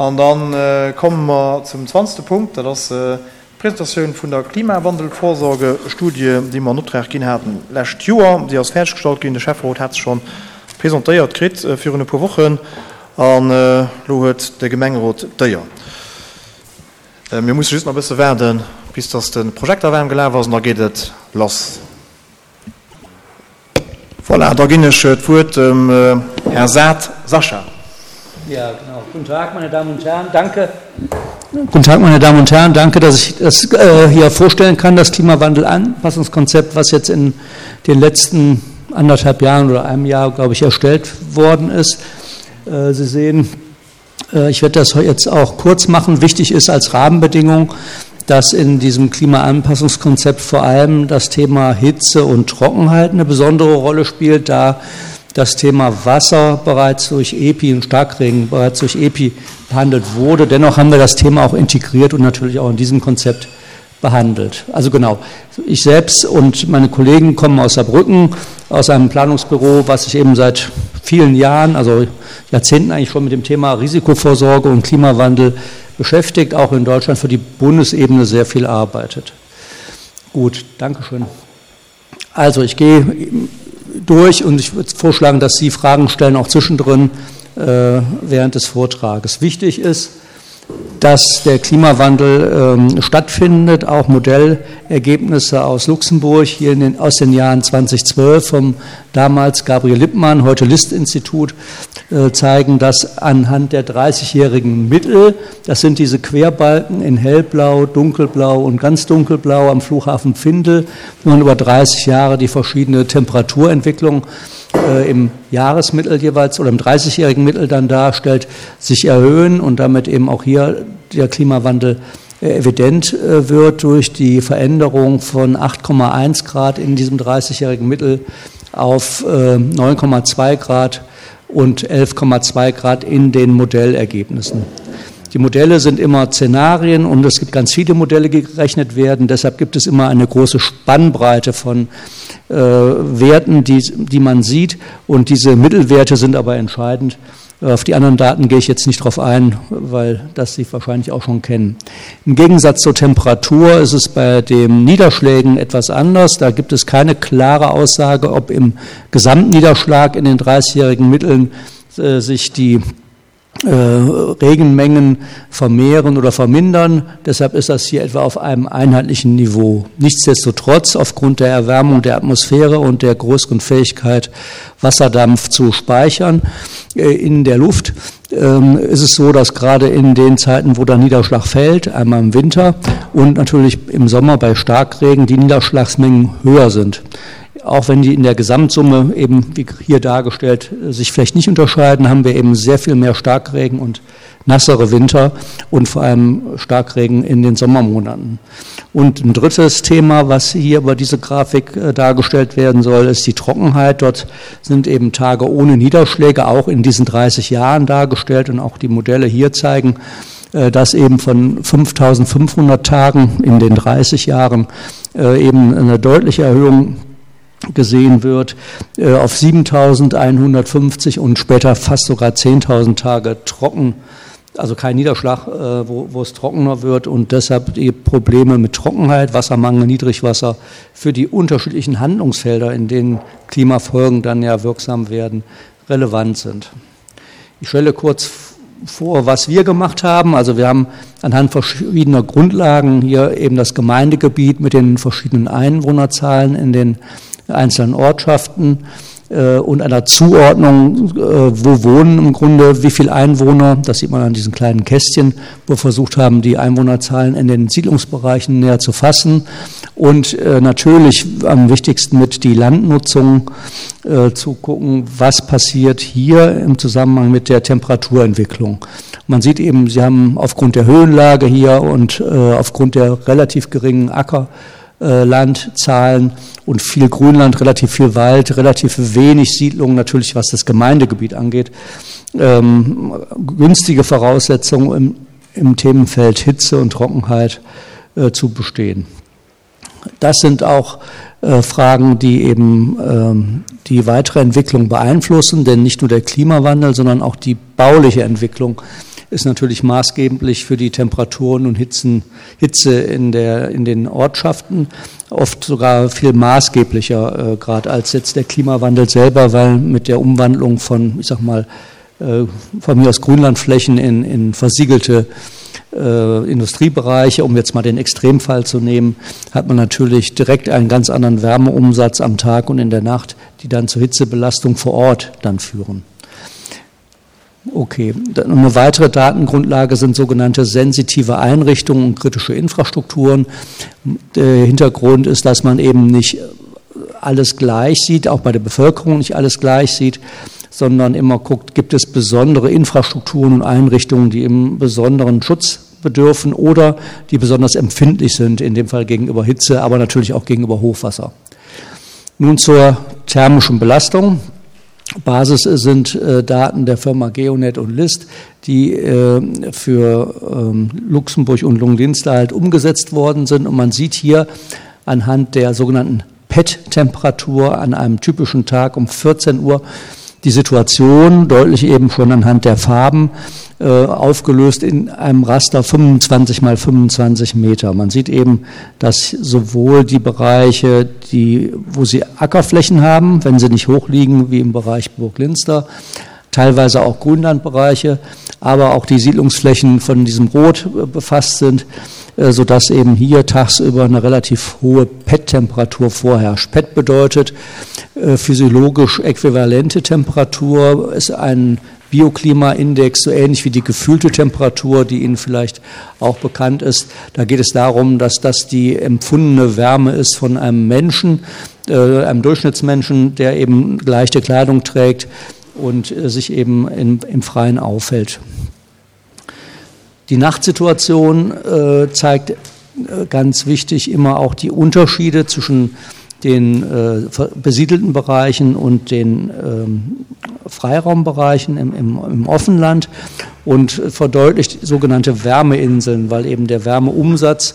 An da komme mer zum zwanzegste Punkt, dat ass d'Presentatioun vun der Klimawandelvorsorgestudie, déi mer an Optrag ginn haten d'lescht Joer. Déi ass fäerdeggestallt ginn. De Schäfferot hat se scho presentéiert kritt virun e puer Wochen. An elo huet de Gemengerot d'Éier. Mir musse just nach e bësse waarden, bis dass de Projekter waarm gelaf ass, an da geet et lass. Voilà, da ginn ech d'Wuert dem Här Saad Sascha. Ja, genau. Guten Tag, meine Damen und Herren. Danke. Guten Tag, meine Damen und Herren. Danke, dass ich das äh, hier vorstellen kann, das Klimawandel-Anpassungskonzept, was jetzt in den letzten anderthalb Jahren oder einem Jahr, glaube ich, erstellt worden ist. Äh, Sie sehen, äh, ich werde das jetzt auch kurz machen. Wichtig ist als Rahmenbedingung, dass in diesem Klimaanpassungskonzept vor allem das Thema Hitze und Trockenheit eine besondere Rolle spielt, da das Thema Wasser bereits durch EPI und Starkregen bereits durch EPI behandelt wurde. Dennoch haben wir das Thema auch integriert und natürlich auch in diesem Konzept behandelt. Also genau, ich selbst und meine Kollegen kommen aus Saarbrücken, aus einem Planungsbüro, was sich eben seit vielen Jahren, also Jahrzehnten eigentlich schon mit dem Thema Risikovorsorge und Klimawandel beschäftigt, auch in Deutschland für die Bundesebene sehr viel arbeitet. Gut, Dankeschön. Also ich gehe durch und ich würde vorschlagen, dass Sie Fragen stellen, auch zwischendrin äh, während des Vortrages. Wichtig ist, dass der Klimawandel ähm, stattfindet. Auch Modellergebnisse aus Luxemburg hier in den, aus den Jahren 2012 vom damals Gabriel Lippmann, heute List-Institut, äh, zeigen, dass anhand der 30-jährigen Mittel, das sind diese Querbalken in hellblau, dunkelblau und ganz dunkelblau am Flughafen Findel, wenn man über 30 Jahre die verschiedene Temperaturentwicklung äh, im Jahresmittel jeweils oder im 30-jährigen Mittel dann darstellt, sich erhöhen und damit eben auch hier der Klimawandel äh, evident äh, wird durch die Veränderung von 8,1 Grad in diesem 30-jährigen Mittel auf 9,2 Grad und 11,2 Grad in den Modellergebnissen. Die Modelle sind immer Szenarien und es gibt ganz viele Modelle, die gerechnet werden. Deshalb gibt es immer eine große Spannbreite von äh, Werten, die, die man sieht. Und diese Mittelwerte sind aber entscheidend. Auf die anderen Daten gehe ich jetzt nicht drauf ein, weil das Sie wahrscheinlich auch schon kennen. Im Gegensatz zur Temperatur ist es bei den Niederschlägen etwas anders. Da gibt es keine klare Aussage, ob im Gesamtniederschlag in den 30-jährigen Mitteln äh, sich die äh, Regenmengen vermehren oder vermindern. Deshalb ist das hier etwa auf einem einheitlichen Niveau. Nichtsdestotrotz, aufgrund der Erwärmung der Atmosphäre und der größeren Fähigkeit, Wasserdampf zu speichern äh, in der Luft, ähm, ist es so, dass gerade in den Zeiten, wo der Niederschlag fällt, einmal im Winter und natürlich im Sommer bei Starkregen, die Niederschlagsmengen höher sind auch wenn die in der Gesamtsumme eben, wie hier dargestellt, sich vielleicht nicht unterscheiden, haben wir eben sehr viel mehr Starkregen und nassere Winter und vor allem Starkregen in den Sommermonaten. Und ein drittes Thema, was hier über diese Grafik äh, dargestellt werden soll, ist die Trockenheit. Dort sind eben Tage ohne Niederschläge auch in diesen 30 Jahren dargestellt und auch die Modelle hier zeigen, äh, dass eben von 5500 Tagen in den 30 Jahren äh, eben eine deutliche Erhöhung gesehen wird, äh, auf 7150 und später fast sogar 10.000 Tage trocken, also kein Niederschlag, äh, wo, wo es trockener wird und deshalb die Probleme mit Trockenheit, Wassermangel, Niedrigwasser für die unterschiedlichen Handlungsfelder, in denen Klimafolgen dann ja wirksam werden, relevant sind. Ich stelle kurz vor, was wir gemacht haben. Also wir haben anhand verschiedener Grundlagen hier eben das Gemeindegebiet mit den verschiedenen Einwohnerzahlen in den einzelnen Ortschaften äh, und einer Zuordnung, äh, wo wohnen im Grunde wie viel Einwohner, das sieht man an diesen kleinen Kästchen, wo wir versucht haben, die Einwohnerzahlen in den Siedlungsbereichen näher zu fassen und äh, natürlich am wichtigsten mit die Landnutzung äh, zu gucken, was passiert hier im Zusammenhang mit der Temperaturentwicklung. Man sieht eben, sie haben aufgrund der Höhenlage hier und äh, aufgrund der relativ geringen Acker äh, Landzahlen und viel Grünland, relativ viel Wald, relativ wenig Siedlungen natürlich, was das Gemeindegebiet angeht. Ähm, günstige Voraussetzungen im, im Themenfeld Hitze und Trockenheit äh, zu bestehen. Das sind auch äh, Fragen, die eben ähm, die weitere Entwicklung beeinflussen, denn nicht nur der Klimawandel, sondern auch die bauliche Entwicklung. ist natürlich maßgeblich für die Temperaturen und Hitzen, Hitze in, der, in den Ortschaften, oft sogar viel maßgeblicher äh, gerade als jetzt der Klimawandel selber, weil mit der Umwandlung von, ich sag mal, äh, von mir aus Grünlandflächen in, in versiegelte äh, Industriebereiche, um jetzt mal den Extremfall zu nehmen, hat man natürlich direkt einen ganz anderen Wärmeumsatz am Tag und in der Nacht, die dann zur Hitzebelastung vor Ort dann führen. Okay, eine weitere Datengrundlage sind sogenannte sensitive Einrichtungen und kritische Infrastrukturen. Der Hintergrund ist, dass man eben nicht alles gleich sieht, auch bei der Bevölkerung nicht alles gleich sieht, sondern immer guckt, gibt es besondere Infrastrukturen und Einrichtungen, die im besonderen Schutz bedürfen oder die besonders empfindlich sind, in dem Fall gegenüber Hitze, aber natürlich auch gegenüber Hochwasser. Nun zur thermischen Belastung. Basis sind äh, Daten der Firma Geonet und List, die äh, für ähm, Luxemburg und Lunglinster halt umgesetzt worden sind. Und man sieht hier anhand der sogenannten PET-Temperatur an einem typischen Tag um 14 Uhr die Situation deutlich eben schon anhand der Farben äh, aufgelöst in einem Raster 25 mal 25 Meter. Man sieht eben, dass sowohl die Bereiche, die, wo sie Ackerflächen haben, wenn sie nicht hoch liegen, wie im Bereich Burglinster, teilweise auch Grünlandbereiche, aber auch die Siedlungsflächen von diesem Rot äh, befasst sind, äh, sodass eben hier tagsüber eine relativ hohe PET-Temperatur vorherrscht. PET bedeutet äh, physiologisch äquivalente Temperatur, ist ein Bioklimaindex, so ähnlich wie die gefühlte Temperatur, die Ihnen vielleicht auch bekannt ist. Da geht es darum, dass das die empfundene Wärme ist von einem Menschen, einem Durchschnittsmenschen, der eben leichte Kleidung trägt und äh, sich eben in, im Freien aufhält. Die Nachtsituation äh, zeigt äh, ganz wichtig immer auch die Unterschiede zwischen den äh, besiedelten Bereichen und den ähm, Freiraumbereichen im, im, im Offenland und verdeutlicht sogenannte Wärmeinseln, weil eben der Wärmeumsatz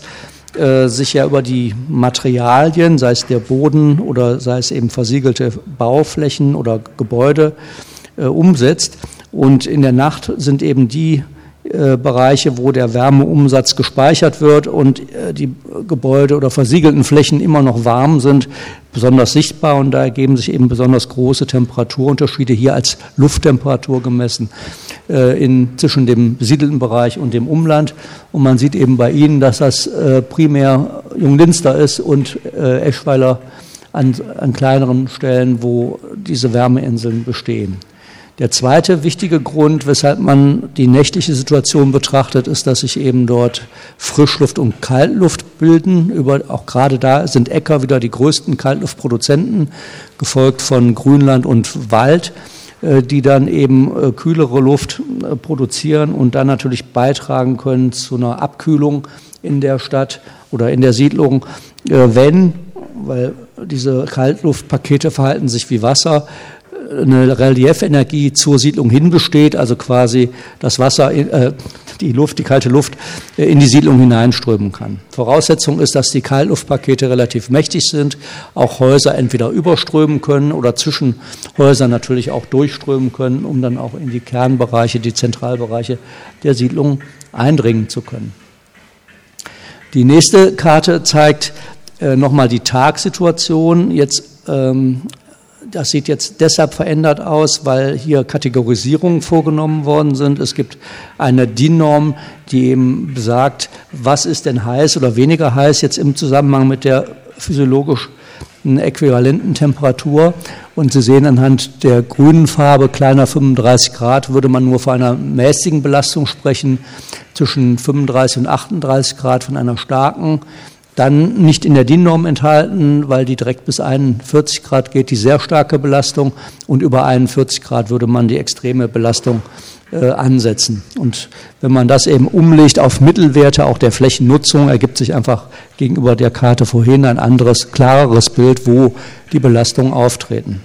äh, sich ja über die Materialien, sei es der Boden oder sei es eben versiegelte Bauflächen oder Gebäude, äh, umsetzt. Und in der Nacht sind eben die äh, Bereiche, wo der Wärmeumsatz gespeichert wird und äh, die Gebäude oder versiegelten Flächen immer noch warm sind, besonders sichtbar und da ergeben sich eben besonders große Temperaturunterschiede hier als Lufttemperatur gemessen äh, in, zwischen dem besiedelten Bereich und dem Umland. Und man sieht eben bei Ihnen, dass das primär Junglinster ist und Eschweiler an, an kleineren Stellen, wo diese Wärmeinseln bestehen. Der zweite wichtige Grund, weshalb man die nächtliche Situation betrachtet, ist, dass sich eben dort Frischluft und Kaltluft bilden. Über, auch gerade da sind Äcker wieder die größten Kaltluftproduzenten, gefolgt von Grünland und Wald, äh, die dann eben äh, kühlere Luft äh, produzieren und dann natürlich beitragen können zu einer Abkühlung in der Stadt oder in der Siedlung, wenn, weil diese Kaltluftpakete verhalten sich wie Wasser, eine Reliefenergie zur Siedlung hin besteht, also quasi das Wasser, äh, die Luft, die kalte Luft äh, in die Siedlung hineinströmen kann. Voraussetzung ist, dass die Kaltluftpakete relativ mächtig sind, auch Häuser entweder überströmen können oder zwischen Häusern natürlich auch durchströmen können, um dann auch in die Kernbereiche, die Zentralbereiche der Siedlung eindringen zu können. Die nächste Karte zeigt äh, nochmal die Tagsituation. Jetzt ähm, das sieht jetzt deshalb verändert aus, weil hier Kategorisierungen vorgenommen worden sind. Es gibt eine DIN-Norm, die eben besagt, was ist denn heiß oder weniger heiß jetzt im Zusammenhang mit der physiologisch äquivalenten Temperatur. Und Sie sehen anhand der grünen Farbe kleiner 35 Grad würde man nur von einer mäßigen Belastung sprechen, zwischen 35 und 38 Grad von einer starken dann nicht in der DIN-Norm enthalten, weil die direkt bis 41 Grad geht, die sehr starke Belastung und über 41 Grad würde man die extreme Belastung äh, ansetzen. Und wenn man das eben umlegt auf Mittelwerte auch der Flächennutzung, ergibt sich einfach gegenüber der Karte vorhin ein anderes, klareres Bild, wo die Belastungen auftreten.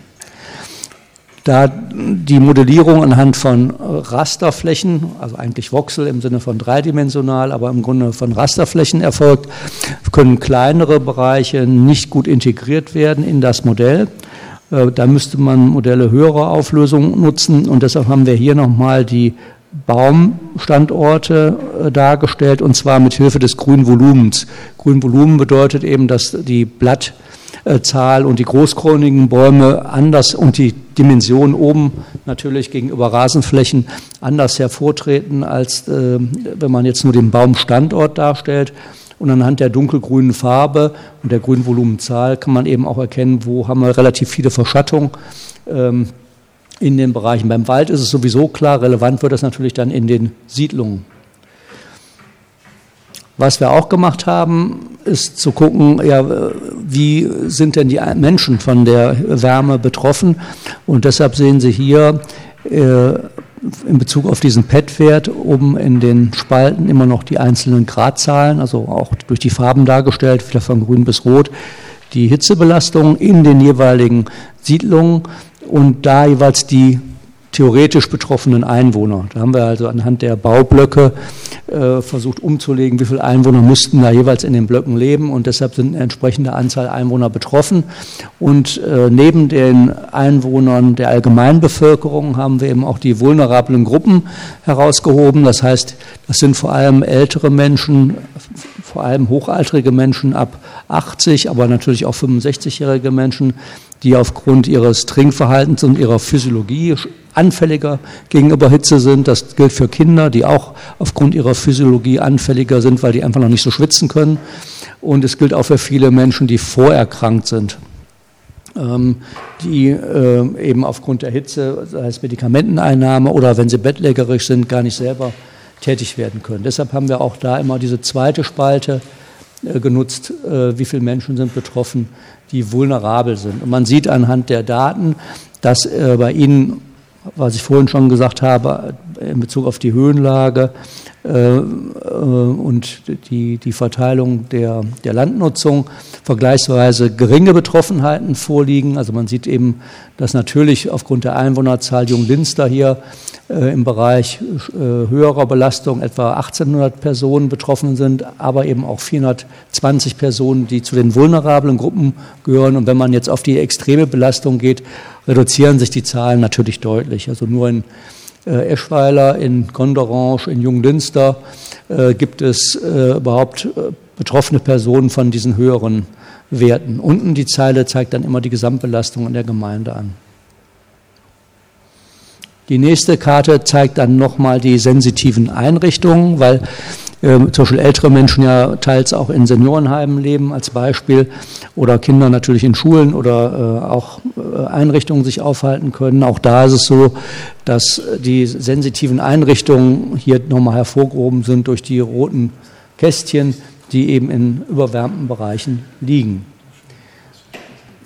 Da die Modellierung anhand von Rasterflächen, also eigentlich Voxel im Sinne von dreidimensional, aber im Grunde von Rasterflächen erfolgt, können kleinere Bereiche nicht gut integriert werden in das Modell. Äh, da müsste man Modelle höherer Auflösung nutzen und deshalb haben wir hier nochmal die Baumstandorte äh, dargestellt und zwar mit Hilfe des Grünvolumens. Grünvolumen bedeutet eben, dass die Blattzahl und die großkronigen Bäume anders und die Dimension oben natürlich gegenüber Rasenflächen anders hervortreten, als äh, wenn man jetzt nur den Baumstandort darstellt. Und anhand der dunkelgrünen Farbe und der Grünvolumenzahl kann man eben auch erkennen, wo haben wir relativ viele Verschattung. Ähm, in den Bereichen. Beim Wald ist es sowieso klar, relevant wird das natürlich dann in den Siedlungen. Was wir auch gemacht haben, ist zu gucken, ja, wie sind denn die Menschen von der Wärme betroffen? Und deshalb sehen Sie hier äh, in Bezug auf diesen PET-Wert oben in den Spalten immer noch die einzelnen Gradzahlen, also auch durch die Farben dargestellt, wieder von grün bis rot, die Hitzebelastung in den jeweiligen Siedlungen und da jeweils die theoretisch betroffenen Einwohner. Da haben wir also anhand der Baublöcke äh, versucht umzulegen, wie viele Einwohner müssten da jeweils in den Blöcken leben und deshalb sind eine entsprechende Anzahl Einwohner betroffen. Und äh, neben den Einwohnern der Allgemeinbevölkerung haben wir eben auch die vulnerablen Gruppen herausgehoben. Das heißt, das sind vor allem ältere Menschen, vor allem hochaltrige Menschen ab 80, aber natürlich auch 65-jährige Menschen, die aufgrund ihres Trinkverhaltens und ihrer Physiologie anfälliger gegenüber Hitze sind. Das gilt für Kinder, die auch aufgrund ihrer Physiologie anfälliger sind, weil die einfach noch nicht so schwitzen können. Und es gilt auch für viele Menschen, die vorerkrankt sind, ähm, die äh, eben aufgrund der Hitze, sei es Medikamenteneinnahme oder wenn sie bettlägerig sind, gar nicht selber tätig werden können. Deshalb haben wir auch da immer diese zweite Spalte äh, genutzt, äh, wie viele Menschen sind betroffen, die vulnerabel sind. Und man sieht anhand der Daten, dass bei ihnen was ich vorhin schon gesagt habe, in Bezug auf die Höhenlage äh, äh, und die, die Verteilung der, der Landnutzung vergleichsweise geringe Betroffenheiten vorliegen. Also man sieht eben, dass natürlich aufgrund der Einwohnerzahl Junglinster hier äh, im Bereich äh, höherer Belastung etwa 1800 Personen betroffen sind, aber eben auch 420 Personen, die zu den vulnerablen Gruppen gehören. Und wenn man jetzt auf die extreme Belastung geht, reduzieren sich die Zahlen natürlich deutlich. Also nur in äh, Eschweiler, in Gondorange, in Junglinster äh, gibt es äh, überhaupt äh, betroffene Personen von diesen höheren Werten. Unten die Zeile zeigt dann immer die Gesamtbelastung in der Gemeinde an. Die nächste Karte zeigt dann nochmal die sensitiven Einrichtungen, weil äh, zum Beispiel ältere Menschen ja teils auch in Seniorenheimen leben als Beispiel oder Kinder natürlich in Schulen oder äh, auch äh, Einrichtungen sich aufhalten können. Auch da ist es so, dass die sensitiven Einrichtungen hier nochmal hervorgehoben sind durch die roten Kästchen, die eben in überwärmten Bereichen liegen.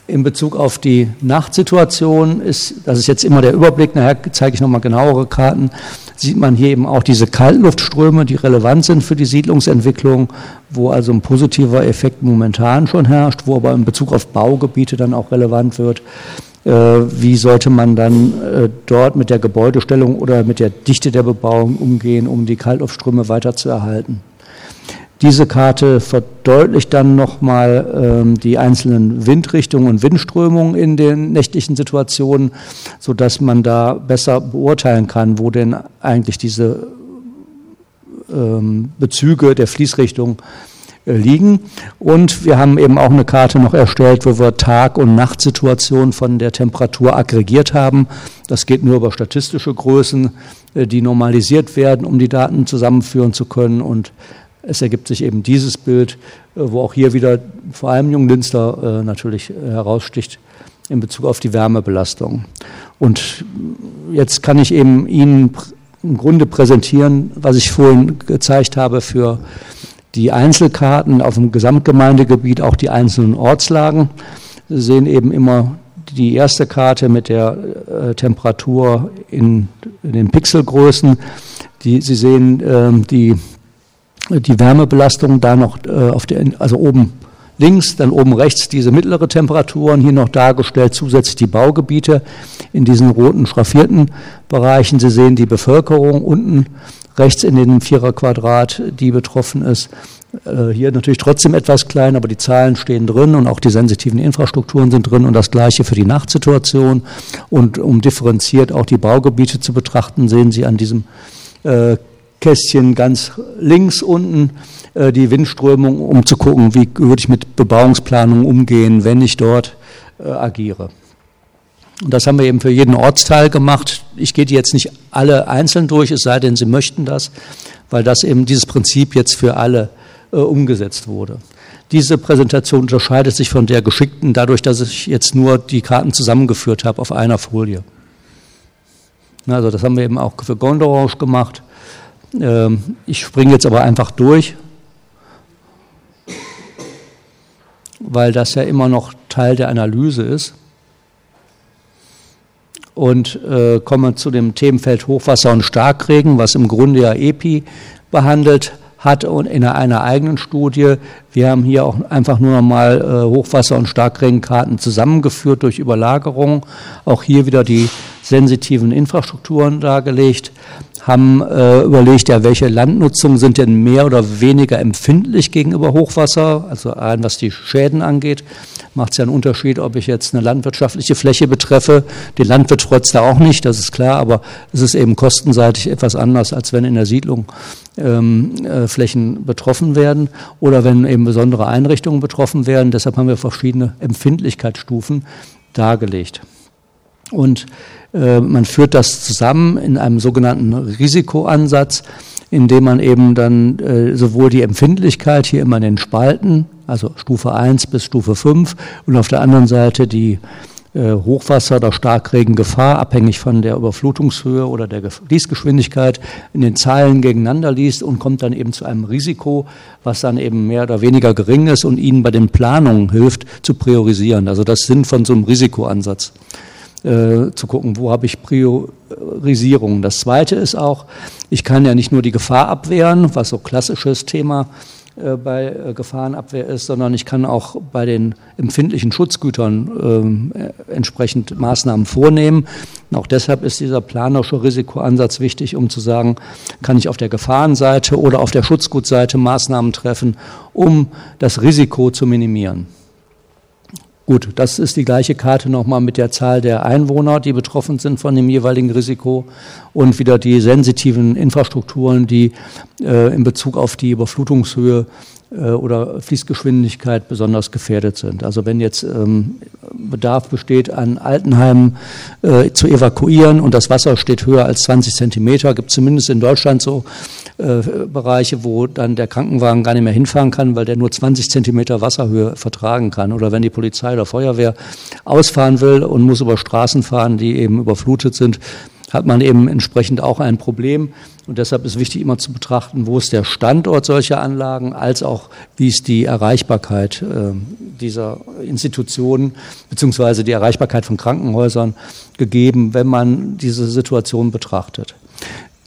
In Bezug auf die Nachtsituation ist, das ist jetzt immer der Überblick, nachher zeige ich nochmal genauere Karten, sieht man hier eben auch diese Kaltluftströme, die relevant sind für die Siedlungsentwicklung, wo also ein positiver Effekt momentan schon herrscht, wo aber in Bezug auf Baugebiete dann auch relevant wird. Äh, wie sollte man dann äh, dort mit der Gebäudestellung oder mit der Dichte der Bebauung umgehen, um die Kaltluftströme weiter zu erhalten? Diese Karte verdeutlicht dann nochmal ähm, die einzelnen Windrichtungen und Windströmungen in den nächtlichen Situationen, sodass man da besser beurteilen kann, wo denn eigentlich diese ähm, Bezüge der Fließrichtung äh, liegen. Und wir haben eben auch eine Karte noch erstellt, wo wir Tag- und Nachtsituationen von der Temperatur aggregiert haben. Das geht nur über statistische Größen, äh, die normalisiert werden, um die Daten zusammenführen zu können. Und es ergibt sich eben dieses Bild, äh, wo auch hier wieder vor allem Junglinster äh, natürlich äh, heraussticht in Bezug auf die Wärmebelastung. Und jetzt kann ich eben Ihnen im Grunde präsentieren, was ich vorhin gezeigt habe für die Einzelkarten auf dem Gesamtgemeindegebiet, auch die einzelnen Ortslagen. Sie sehen eben immer die erste Karte mit der äh, Temperatur in, in den Pixelgrößen. Die, Sie sehen äh, die die Wärmebelastung da noch äh, auf der, also oben links, dann oben rechts diese mittlere Temperaturen hier noch dargestellt, zusätzlich die Baugebiete in diesen roten schraffierten Bereichen. Sie sehen die Bevölkerung unten rechts in dem Viererquadrat, die betroffen ist. Äh, hier natürlich trotzdem etwas klein, aber die Zahlen stehen drin und auch die sensitiven Infrastrukturen sind drin und das gleiche für die Nachtsituation. Und um differenziert auch die Baugebiete zu betrachten, sehen Sie an diesem Kästchen ganz links unten die Windströmung, um zu gucken, wie würde ich mit Bebauungsplanung umgehen, wenn ich dort agiere. Und das haben wir eben für jeden Ortsteil gemacht. Ich gehe die jetzt nicht alle einzeln durch, es sei denn, Sie möchten das, weil das eben dieses Prinzip jetzt für alle äh, umgesetzt wurde. Diese Präsentation unterscheidet sich von der geschickten dadurch, dass ich jetzt nur die Karten zusammengeführt habe auf einer Folie. Also das haben wir eben auch für Gondorange gemacht. Ähm, ich springe jetzt aber einfach durch, weil das ja immer noch Teil der Analyse ist. Und äh, komme zu dem Themenfeld Hochwasser und Starkregen, was im Grunde ja EPI behandelt hat und in einer eigenen Studie. Wir haben hier auch einfach nur noch mal äh, Hochwasser- und Starkregenkarten zusammengeführt durch Überlagerung. Auch hier wieder die sensitiven Infrastrukturen dargelegt, haben äh, überlegt, ja, welche Landnutzungen sind denn mehr oder weniger empfindlich gegenüber Hochwasser, also ein, was die Schäden angeht macht es ja einen Unterschied, ob ich jetzt eine landwirtschaftliche Fläche betreffe. Den Landwirt freut da auch nicht, das ist klar, aber es ist eben kostenseitig etwas anders, als wenn in der Siedlung ähm, äh, Flächen betroffen werden oder wenn eben besondere Einrichtungen betroffen werden. Deshalb haben wir verschiedene Empfindlichkeitsstufen dargelegt. Und äh, man führt das zusammen in einem sogenannten Risikoansatz, in dem man eben dann äh, sowohl die Empfindlichkeit hier immer in den Spalten, also Stufe 1 bis Stufe 5 und auf der anderen Seite die äh, Hochwasser- oder Starkregengefahr, abhängig von der Überflutungshöhe oder der Fließgeschwindigkeit, in den Zeilen gegeneinander liest und kommt dann eben zu einem Risiko, was dann eben mehr oder weniger gering ist und Ihnen bei den Planungen hilft zu priorisieren. Also das Sinn von so einem Risikoansatz äh, zu gucken, wo habe ich Priorisierung. Das Zweite ist auch, ich kann ja nicht nur die Gefahr abwehren, was so klassisches Thema äh, bei äh, Gefahrenabwehr ist, sondern ich kann auch bei den empfindlichen Schutzgütern äh, entsprechend Maßnahmen vornehmen. Und auch deshalb ist dieser planerische Risikoansatz wichtig, um zu sagen, kann ich auf der Gefahrenseite oder auf der Schutzgutseite Maßnahmen treffen, um das Risiko zu minimieren. Gut, das ist die gleiche Karte nochmal mit der Zahl der Einwohner, die betroffen sind von dem jeweiligen Risiko und wieder die sensitiven Infrastrukturen, die äh, in Bezug auf die Überflutungshöhe äh, oder Fließgeschwindigkeit besonders gefährdet sind. Also wenn jetzt ähm, Bedarf besteht, an Altenheimen äh, zu evakuieren und das Wasser steht höher als 20 Zentimeter, gibt es zumindest in Deutschland so äh, Bereiche, wo dann der Krankenwagen gar nicht mehr hinfahren kann, weil der nur 20 Zentimeter Wasserhöhe vertragen kann. Oder wenn die Polizei oder Feuerwehr ausfahren will und muss über Straßen fahren, die eben überflutet sind, hat man eben entsprechend auch ein Problem. Und deshalb ist wichtig, immer zu betrachten, wo ist der Standort solcher Anlagen, als auch wie ist die Erreichbarkeit äh, dieser Institutionen beziehungsweise die Erreichbarkeit von Krankenhäusern gegeben, wenn man diese Situation betrachtet.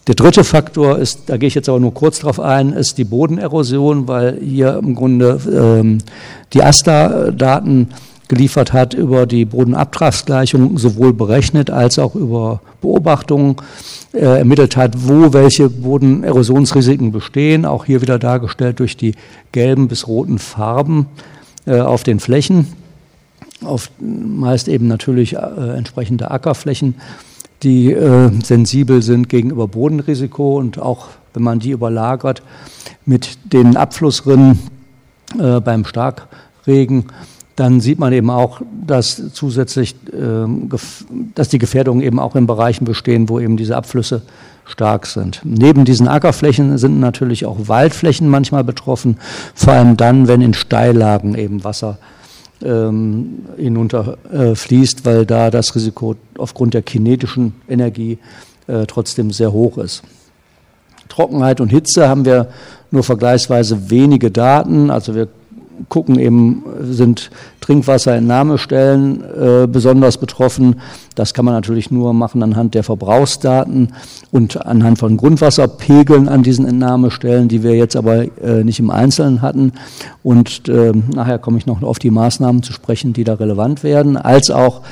Der dritte Faktor ist, da gehe ich jetzt aber nur kurz drauf ein, ist die Bodenerosion, weil hier im Grunde ähm, die AStA-Daten geliefert hat über die Bodenabtragsgleichung sowohl berechnet als auch über Beobachtungen äh, ermittelt hat, wo welche Bodenerosionsrisiken bestehen, auch hier wieder dargestellt durch die gelben bis roten Farben äh, auf den Flächen, auf meist eben natürlich äh, entsprechende Ackerflächen, die äh, sensibel sind gegenüber Bodenrisiko und auch wenn man die überlagert mit den Abflussrinnen äh, beim Starkregen, dann sieht man eben auch, dass zusätzlich, äh, dass die Gefährdungen eben auch in Bereichen bestehen, wo eben diese Abflüsse stark sind. Neben diesen Ackerflächen sind natürlich auch Waldflächen manchmal betroffen, vor allem dann, wenn in Steillagen eben Wasser ähm, hinunterfließt, äh, weil da das Risiko aufgrund der kinetischen Energie äh, trotzdem sehr hoch ist. Trockenheit und Hitze haben wir nur vergleichsweise wenige Daten. Also wir gucken eben, sind Trinkwasserentnahmestellen äh, besonders betroffen. Das kann man natürlich nur machen anhand der Verbrauchsdaten und anhand von Grundwasserpegeln an diesen Entnahmestellen, die wir jetzt aber äh, nicht im Einzelnen hatten. Und äh, nachher komme ich noch auf die Maßnahmen zu sprechen, die da relevant werden, als auch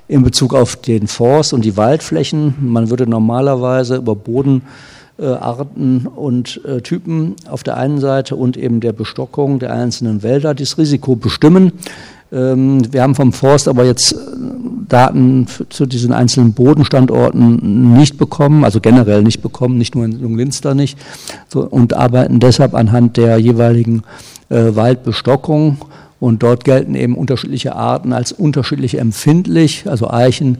in Bezug auf den Forst und die Waldflächen. Man würde normalerweise über Boden äh, Arten und äh, Typen auf der einen Seite und eben der Bestockung der einzelnen Wälder das Risiko bestimmen. Ähm, wir haben vom Forst aber jetzt äh, Daten zu diesen einzelnen Bodenstandorten nicht bekommen, also generell nicht bekommen, nicht nur in Junglinster nicht, so, und arbeiten deshalb anhand der jeweiligen äh, Waldbestockung. Und dort gelten eben unterschiedliche Arten als unterschiedlich empfindlich, also Eichen,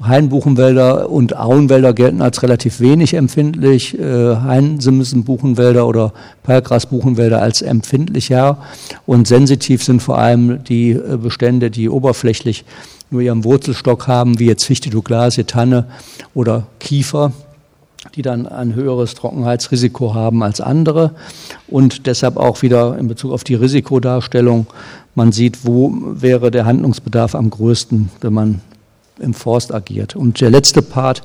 Hainbuchenwälder und Auenwälder gelten als relativ wenig empfindlich, äh, Hainsimsenbuchenwälder oder Perlgrasbuchenwälder als empfindlicher. Und sensitiv sind vor allem die äh, Bestände, die oberflächlich nur ihren Wurzelstock haben, wie jetzt Fichte, Douglasie, Tanne oder Kiefer, die dann ein höheres Trockenheitsrisiko haben als andere. Und deshalb auch wieder in Bezug auf die Risikodarstellung, man sieht, wo wäre der Handlungsbedarf am größten, wenn man im Forst agiert. Und der letzte Part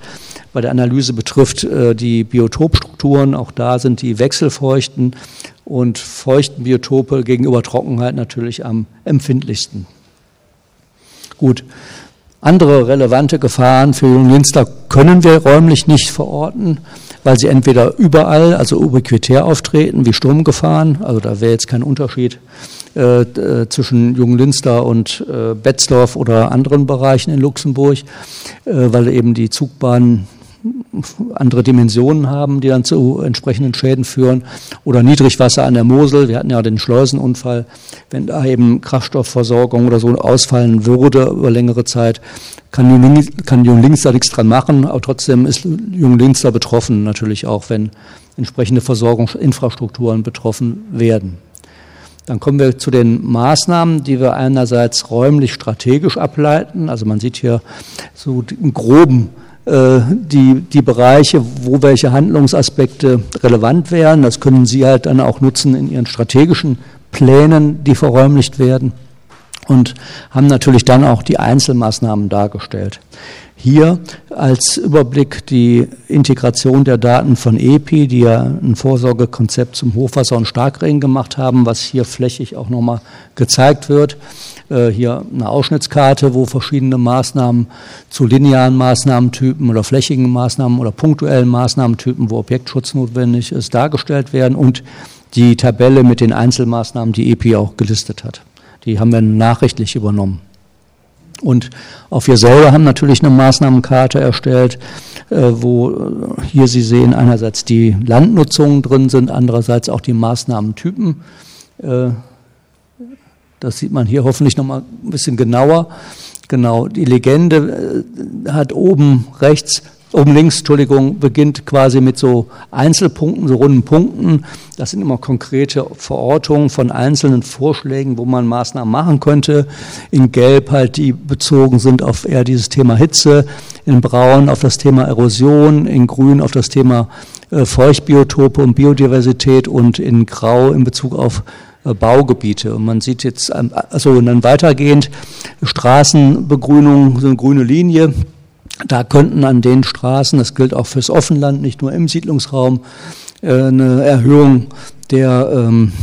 bei der Analyse betrifft äh, die Biotopstrukturen. Auch da sind die wechselfeuchten und feuchten Biotope gegenüber Trockenheit natürlich am empfindlichsten. Gut. Andere relevante Gefahren für Junglinster können wir räumlich nicht verorten, weil sie entweder überall, also ubiquitär auftreten, wie Sturmgefahren, also da wäre jetzt kein Unterschied äh, äh zwischen Junglinster und äh, Betzdorf oder anderen Bereichen in Luxemburg, äh, weil eben die Zugbahnen andere Dimensionen haben, die dann zu entsprechenden Schäden führen oder Niedrigwasser an der Mosel. Wir hatten ja den Schleusenunfall, wenn da eben Kraftstoffversorgung oder so ausfallen würde über längere Zeit, kann Jung, kann Junglinster nichts dran machen, aber trotzdem ist Junglinster betroffen natürlich auch, wenn entsprechende Versorgungsinfrastrukturen betroffen werden. Dann kommen wir zu den Maßnahmen, die wir einerseits räumlich strategisch ableiten. Also man sieht hier so im groben äh, die, die Bereiche, wo welche Handlungsaspekte relevant wären. Das können Sie halt dann auch nutzen in Ihren strategischen Plänen, die verräumlicht werden und haben natürlich dann auch die Einzelmaßnahmen dargestellt. Hier als Überblick die Integration der Daten von EPI, die ja ein Vorsorgekonzept zum Hochwasser und Starkregen gemacht haben, was hier flächig auch nochmal gezeigt wird. Äh, hier eine Ausschnittskarte, wo verschiedene Maßnahmen zu linearen Maßnahmentypen oder flächigen Maßnahmen oder punktuellen Maßnahmentypen, wo Objektschutz notwendig ist, dargestellt werden und die Tabelle mit den Einzelmaßnahmen, die EPI auch gelistet hat. Die haben wir nachrichtlich übernommen. Und auch wir selber haben natürlich eine Maßnahmenkarte erstellt, äh, wo äh, hier Sie sehen einerseits die Landnutzungen drin sind, andererseits auch die Maßnahmentypen. Äh, das sieht man hier hoffentlich noch mal ein bisschen genauer. Genau, die Legende hat oben rechts oben links, Entschuldigung, beginnt quasi mit so Einzelpunkten, so runden Punkten. Das sind immer konkrete Verortungen von einzelnen Vorschlägen, wo man Maßnahmen machen könnte. In Gelb halt, die bezogen sind auf eher dieses Thema Hitze, in Braun auf das Thema Erosion, in Grün auf das Thema äh, Feuchtbiotope und Biodiversität und in Grau in Bezug auf äh, Baugebiete. Und man sieht jetzt, ähm, also und dann weitergehend Straßenbegrünung, so eine grüne Linie. Da könnten an den Straßen, das gilt auch fürs Offenland, nicht nur im Siedlungsraum, äh, eine Erhöhung der, ähm,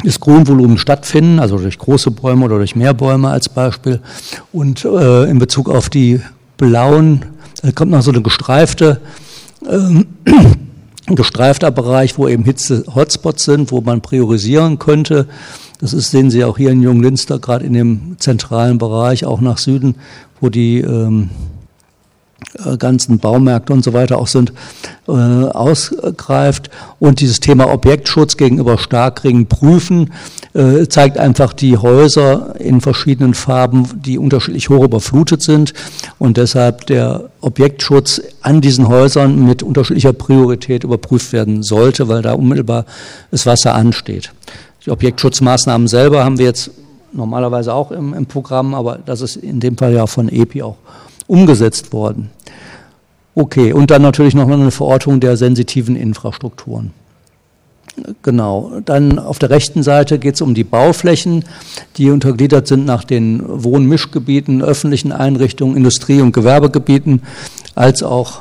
des Grünvolumens stattfinden, also durch große Bäume oder durch mehr Bäume als Beispiel. Und äh, in Bezug auf die blauen, da kommt noch so eine gestreifte, äh, gestreifter Bereich, wo eben Hitze-Hotspots sind, wo man priorisieren könnte. Das ist, sehen Sie auch hier in Junglinster, gerade in dem zentralen Bereich, auch nach Süden, wo die ähm, äh, ganzen Baumärkte und so weiter auch sind, äh, ausgreift. Und dieses Thema Objektschutz gegenüber Starkregen prüfen, äh, zeigt einfach die Häuser in verschiedenen Farben, die unterschiedlich hoch überflutet sind und deshalb der Objektschutz an diesen Häusern mit unterschiedlicher Priorität überprüft werden sollte, weil da unmittelbar das Wasser ansteht. Die Objektschutzmaßnahmen selber haben wir jetzt normalerweise auch im, im Programm, aber das ist in dem Fall ja von EPI auch umgesetzt worden. Okay, und dann natürlich noch eine Verortung der sensitiven Infrastrukturen. Genau. Dann auf der rechten Seite geht es um die Bauflächen, die untergliedert sind nach den Wohnmischgebieten, öffentlichen Einrichtungen, Industrie- und Gewerbegebieten, als auch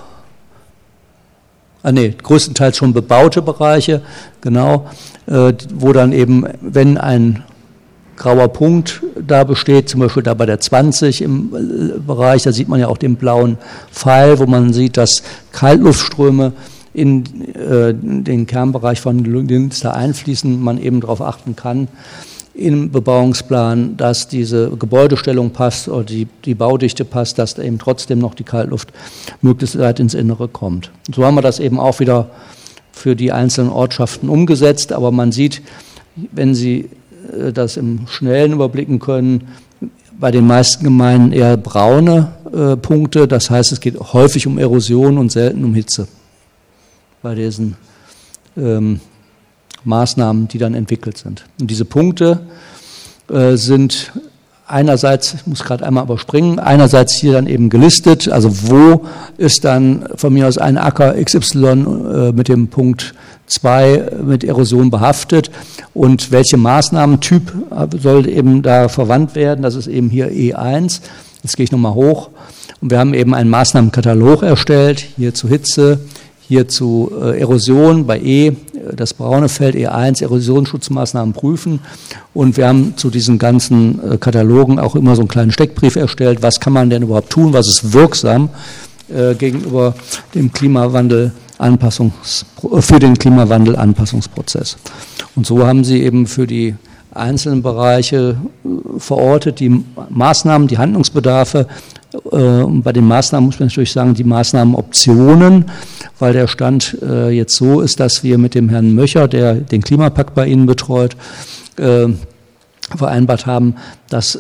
ah nee, größtenteils schon bebaute Bereiche, genau, äh, wo dann eben, wenn ein grauer Punkt da besteht, zum Beispiel da bei der 20 im äh, Bereich, da sieht man ja auch den blauen Pfeil, wo man sieht, dass Kaltluftströme in äh, den Kernbereich von Linster einfließen, man eben darauf achten kann. im Bebauungsplan, dass diese Gebäudestellung passt oder die, die Baudichte passt, dass eben trotzdem noch die Kaltluft möglichst weit ins Innere kommt. Und so haben wir das eben auch wieder für die einzelnen Ortschaften umgesetzt. Aber man sieht, wenn Sie äh, das im Schnellen überblicken können, bei den meisten Gemeinden eher braune äh, Punkte. Das heißt, es geht häufig um Erosion und selten um Hitze bei diesen ähm, Maßnahmen, die dann entwickelt sind. Und diese Punkte äh, sind einerseits, ich muss gerade einmal überspringen, einerseits hier dann eben gelistet, also wo ist dann von mir aus ein Acker XY äh, mit dem Punkt 2 mit Erosion behaftet und welche Maßnahmentyp äh, soll eben da verwandt werden, das ist eben hier E1. Jetzt gehe ich nochmal hoch und wir haben eben einen Maßnahmenkatalog erstellt, hier zu Hitze, hier zu äh, Erosion bei E, äh, das braune Feld E1, Erosionsschutzmaßnahmen prüfen. Und wir haben zu diesen ganzen äh, Katalogen auch immer so einen kleinen Steckbrief erstellt. Was kann man denn überhaupt tun? Was ist wirksam gegenüber dem Klimawandel? Anpassungs, für den Klimawandelanpassungsprozess. Und so haben sie eben für die einzelnen Bereiche verortet, die Maßnahmen, die Handlungsbedarfe Äh, und bei den Maßnahmen muss man natürlich sagen, die Maßnahmenoptionen, weil der Stand äh, jetzt so ist, dass wir mit dem Herrn Möcher, der den Klimapakt bei Ihnen betreut, äh, vereinbart haben, dass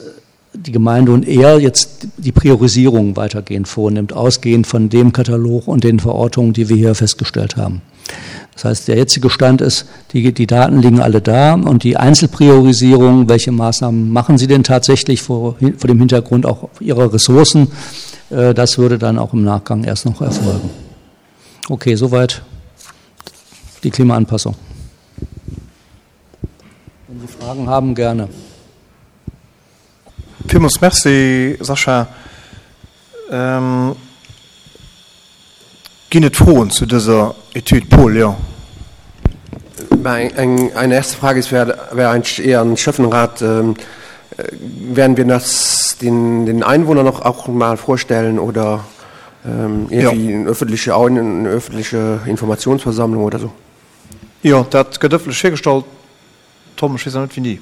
die Gemeinde und er jetzt die Priorisierung weitergehend vornimmt, ausgehend von dem Katalog und den Verortungen, die wir hier festgestellt haben. Das heißt, der jetzige Stand ist, die, die Daten liegen alle da und die Einzelpriorisierung, welche Maßnahmen machen Sie denn tatsächlich vor, vor dem Hintergrund auch Ihrer Ressourcen, äh, das würde dann auch im Nachgang erst noch erfolgen. Okay, soweit die Klimaanpassung. Wenn Sie Fragen haben, gerne. Villmools Merci, Sascha. Ähm, Ginn et Froen zu dëser Etüd? Paul, Jo. Eng eine erste Frage ist, wär, wär eigentlich eher an den Schäffenrat, ähm, werden wir das den, den Einwohnern noch auch mal vorstellen oder ähm, irgendwie ja. eine öffentliche, eine öffentliche Informationsversammlung oder so? Jo, dat gëtt ëffentlech virgestallt. Tom, ech weess nach net wéini.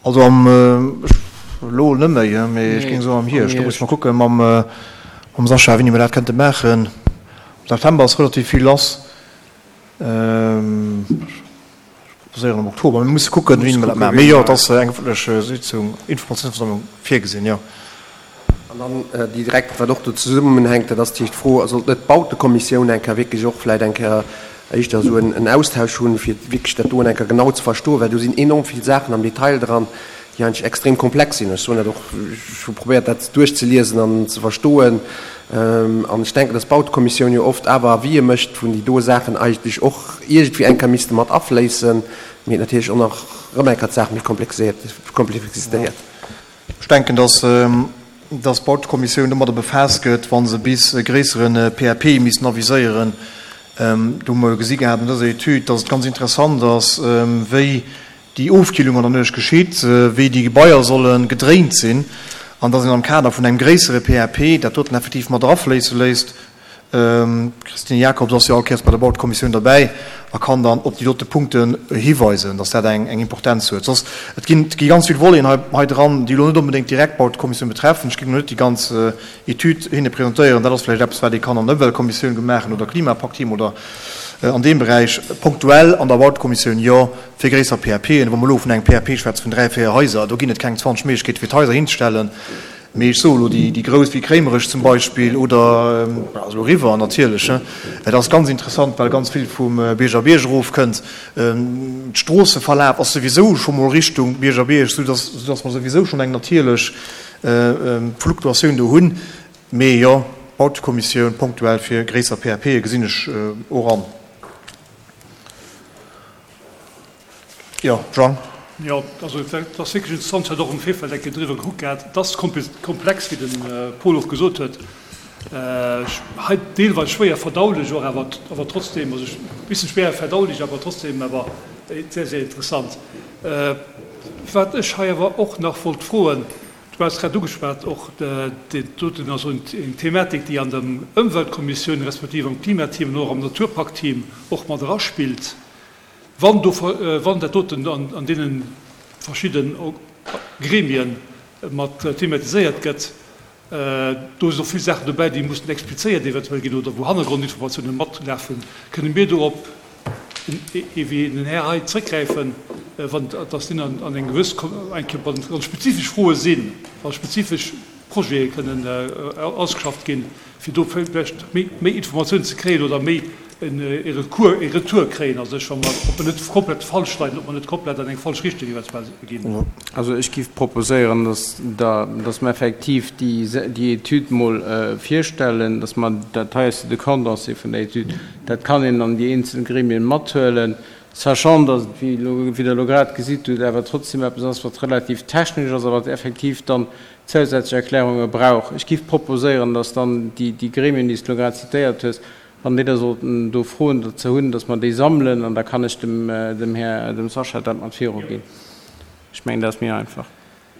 Also am, elo net méi, mee ech géing soen am Hierscht. Do muss ech mol kucke mam, mam Sascha, wéini mer dat kënnte maachen. Am September ass relativ vill lass. Ech proposéieren am Oktober. Mir musse kucken, wéini mer dat maachen. Mee jo, et ass eng ëffentlech Sitzung, Informatiounsversammlung virgesinn, jo. An dann déi direkt, wat och do zesummenhänkt, dat ass d'Fro, sollt net d'Bautekommissioun eng Kéier wierklech och vläicht eng Kéier éischter esou en Austausch hunn, fir wierklech dat do eng Kéier genau ze verstoen, well do sinn enorm vill Saachen am Detail dran, déi eigentlech extrem komplex sinn. Ech soen dat och, ech hu probéiert dat duerchzeliesen an ze verstoen. An ech denken, dass d'Bautekommissioun jo oft awer Avisë mécht, wou déi do Saachen eigentlech och iergendwéi eng Kéier misste mat afléissen, mee et natierlech och nach erëm eng Kéier d'Saach méi komplexéiert. Ech denken, dass dass d'Bautekommissioun domadder befaasst gëtt, wa se bis e gréissere PAP missten aviséieren. Do hu mer jo gesi gehat an dëser Etüd, dass et ganz interessant ass, wéi déi Ofkillung an der Nuecht geschitt, wéi déi Gebaier solle gedréint sinn an dass een am Kader vun engem gréissere PAP dat doten effektiv mat erafléisse léisst. D'Christine Jacobs ass jo all Kéiers bei der Bautekommissioun derbäi a kann dann op déi dote Punkten hiweisen, dass dat eng Importenz huet. Soss, et ginn, et gi ganz vill Voleten hei, hei dran, déi elo net onbedéngt direkt d'Bautekommissioun betreffen. Ech géing elo net déi ganz Etüd hinne presentéieren. Dat ass vläicht eppes, wat ee kann an der Ëmweltkommissioun gemaachen oder Klimapakt-Team oder an deem Beräich. Punktuell an der Bautekommissioun, jo, fir gréisser PAPen. Wa mer elo vun engem PAP schwätze vun dräi, véier Haiser, do ginn et keng 20 Méiglechkeete fir d'Haiser hinzestellen. Mee ech soe lo déi grouss wéi Kréimerech zum Beispill oder ass elo eriwwer natierlech. Et ass ganz interessant, well ganz vill vum Bierger Bierg erofkënnt. D'Stroosseverlaf ass souwisou scho mol Richtung Bierger Bierg, soudass soudass mer souwisou schonn eng natierlech Fluktuatioun do hunn. Mee jo, Bautekommissioun punktuell fir gréisser PAPe gesinn ech och an. Jo, Jean. Jo, also et ass wierklech interessant, ech hat och am Virfeld eng Kéier driwwer gekuckt gehat. Et ass komplex, wéi de Paul och gesot huet, hei deelweis schwéier verdaulech och, awer awer trotzdem, also e bëssen schwéier verdaulech, awer trotzdem awer sehr, sehr interessant. Wat ech hei awer och nach wollt froen, du has grad ugeschwat och, dat doten ass eng Thematik, déi an der Ëmweltkommissioun respektiv am Klimateam an och am Naturpaktteam och mat eraspillt. Wann do, wann dat doten an deene verschidde Gremien mat thematiséiert gëtt, do sinn och vill Saachen dobäi, déi mussen explizéiert eventuell ginn oder wou Hannergrondinformatiounen matlafen, kënne mir do op wéi den Här hei zrëckgräifen, wann dass deen an eng gewëss, eng Kéier, wann spezifesch Froe sinn, wa spezifesch Projete kënnen ausgeschafft ginn, fir do vläicht méi Informatiounen ze kréien oder méi e Recours, e Retour kréien a sech, wa mer, ob mer net komplett falsch leien, ob mer net komplett an eng falsch Richtung eventuell ginn. Also ech géif proposéieren, dass Der, dass mer effektiv déi, déi Etüd mol virstellen, dass mer dat hei ass jo de Condensé vun der Etüd, dat kann een an déi eenzel Gremien mathuelen, sachant dass et, wéi elo, wéi Der elo grad gesitt hutt, awer trotzdem eppes ass, wat relativ technesch ass a wat effektiv dann zousätzlech Erklärunge brauch. Ech géif proposéieren, dass dann déi, déi Gremien, déi s de elo grad zitéiert hues, wann déi da sollten do Froen dozou hunn, dass mer déi sammelen an da kann ech dem, dem Här, dem Sascha dat mat viruginn. Ech mengen, dat ass méi einfach.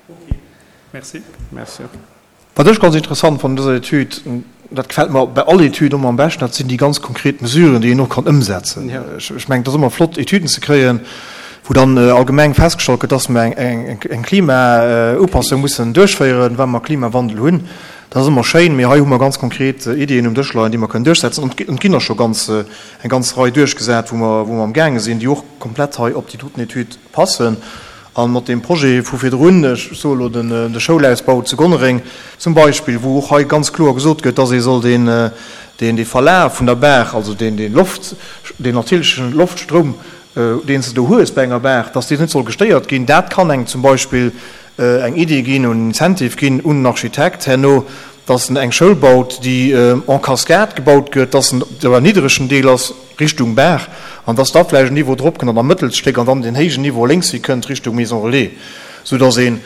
Ok, merci. Merci. Wat ech ganz interessant fannen un dëser Etüd, dat gefält mer bei all Etüd ëmmer am beschten, dat sinn déi ganz konkret Mesuren, déi een och kann ëmsetzen. Ech mengen, et ass ëmmer flott, Etüden ze kréien, wou dann allgemeng festgestallt gëtt, dass mer eng Klimaupassung mussen duerchféieren, well mer Klimawandel hunn. Dat ass ëmmer schéin, mee hei hu mer ganz konkret Iddien um Dësch leien, déi mer kënnen duerchsetzen. An et ginn der scho ganz, eng ganz Rei duerchgesat, wou mer, wou mer amgaange sinn, déi och komplett hei op déi doten Etüd passen. A mat deem Projet vu virdrun, ech soe elo de Schoulausbau zu Gonnereng zum Beispill, wou och hei ganz kloer gesot gëtt, dass ee soll deen, deen Verlaf vun der Baach, also deen, deen Loft, deen natierlechen Loftstroum, deen s de do hues bei enger Baach, dass deen net soll gestéiert ginn. Dat kann engem zum Beispill eng Idee ginn, en Incentive ginn un den Architekt herno, dass en eng Schoul baut, déi en cascade gebaut gëtt, dass en op engem niddregen Deel ass Richtung Baach an dass da vläicht en Niveau drop kënnt an am Mëttelsstéck an dann deen héijen Niveau lénks hi kënnt Richtung Maison Relais, soudass ee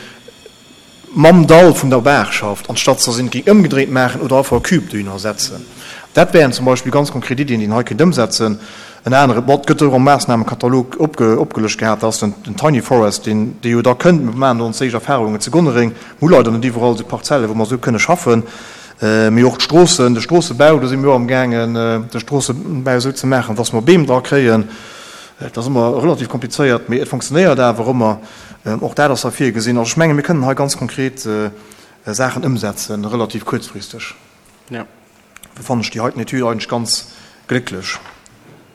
mam Dall vun der Baach schafft, anstatt dass een et géing ëmgedréint maachen oder einfach e Cube dohinner setzen. Dat wären zum Beispill ganz konkret Iddien, déi een hei kéint ëmsetzen. En anere, bon, et gëtt och am Maassnahmekatalog opgelëscht gehat, dat ass den Tiny Forest, deen, dee jo da kënnt. Mir maachen do ons éischt Erfahrungen zu Gonnereng. Mir hu leider net iwwerall esou Parzellen, wou mer esou kënne schaffen. Mee och d'Stroossen, de Stroossebau, do si mir och amgaangen, de Stroossebau esou ze maachen, dass mer Beem dra kréien. Dat ass ëmmer relativ komplizéiert, mee et funktionéiert awer ëmmer. Och dat ass hei virgesinn. Also ech menge mir kënnen hei ganz konkret Saachen ëmsetzen, relativ kuerzfristeg. Do fannen ech déi heiten Etüd eigentlech ganz glécklech.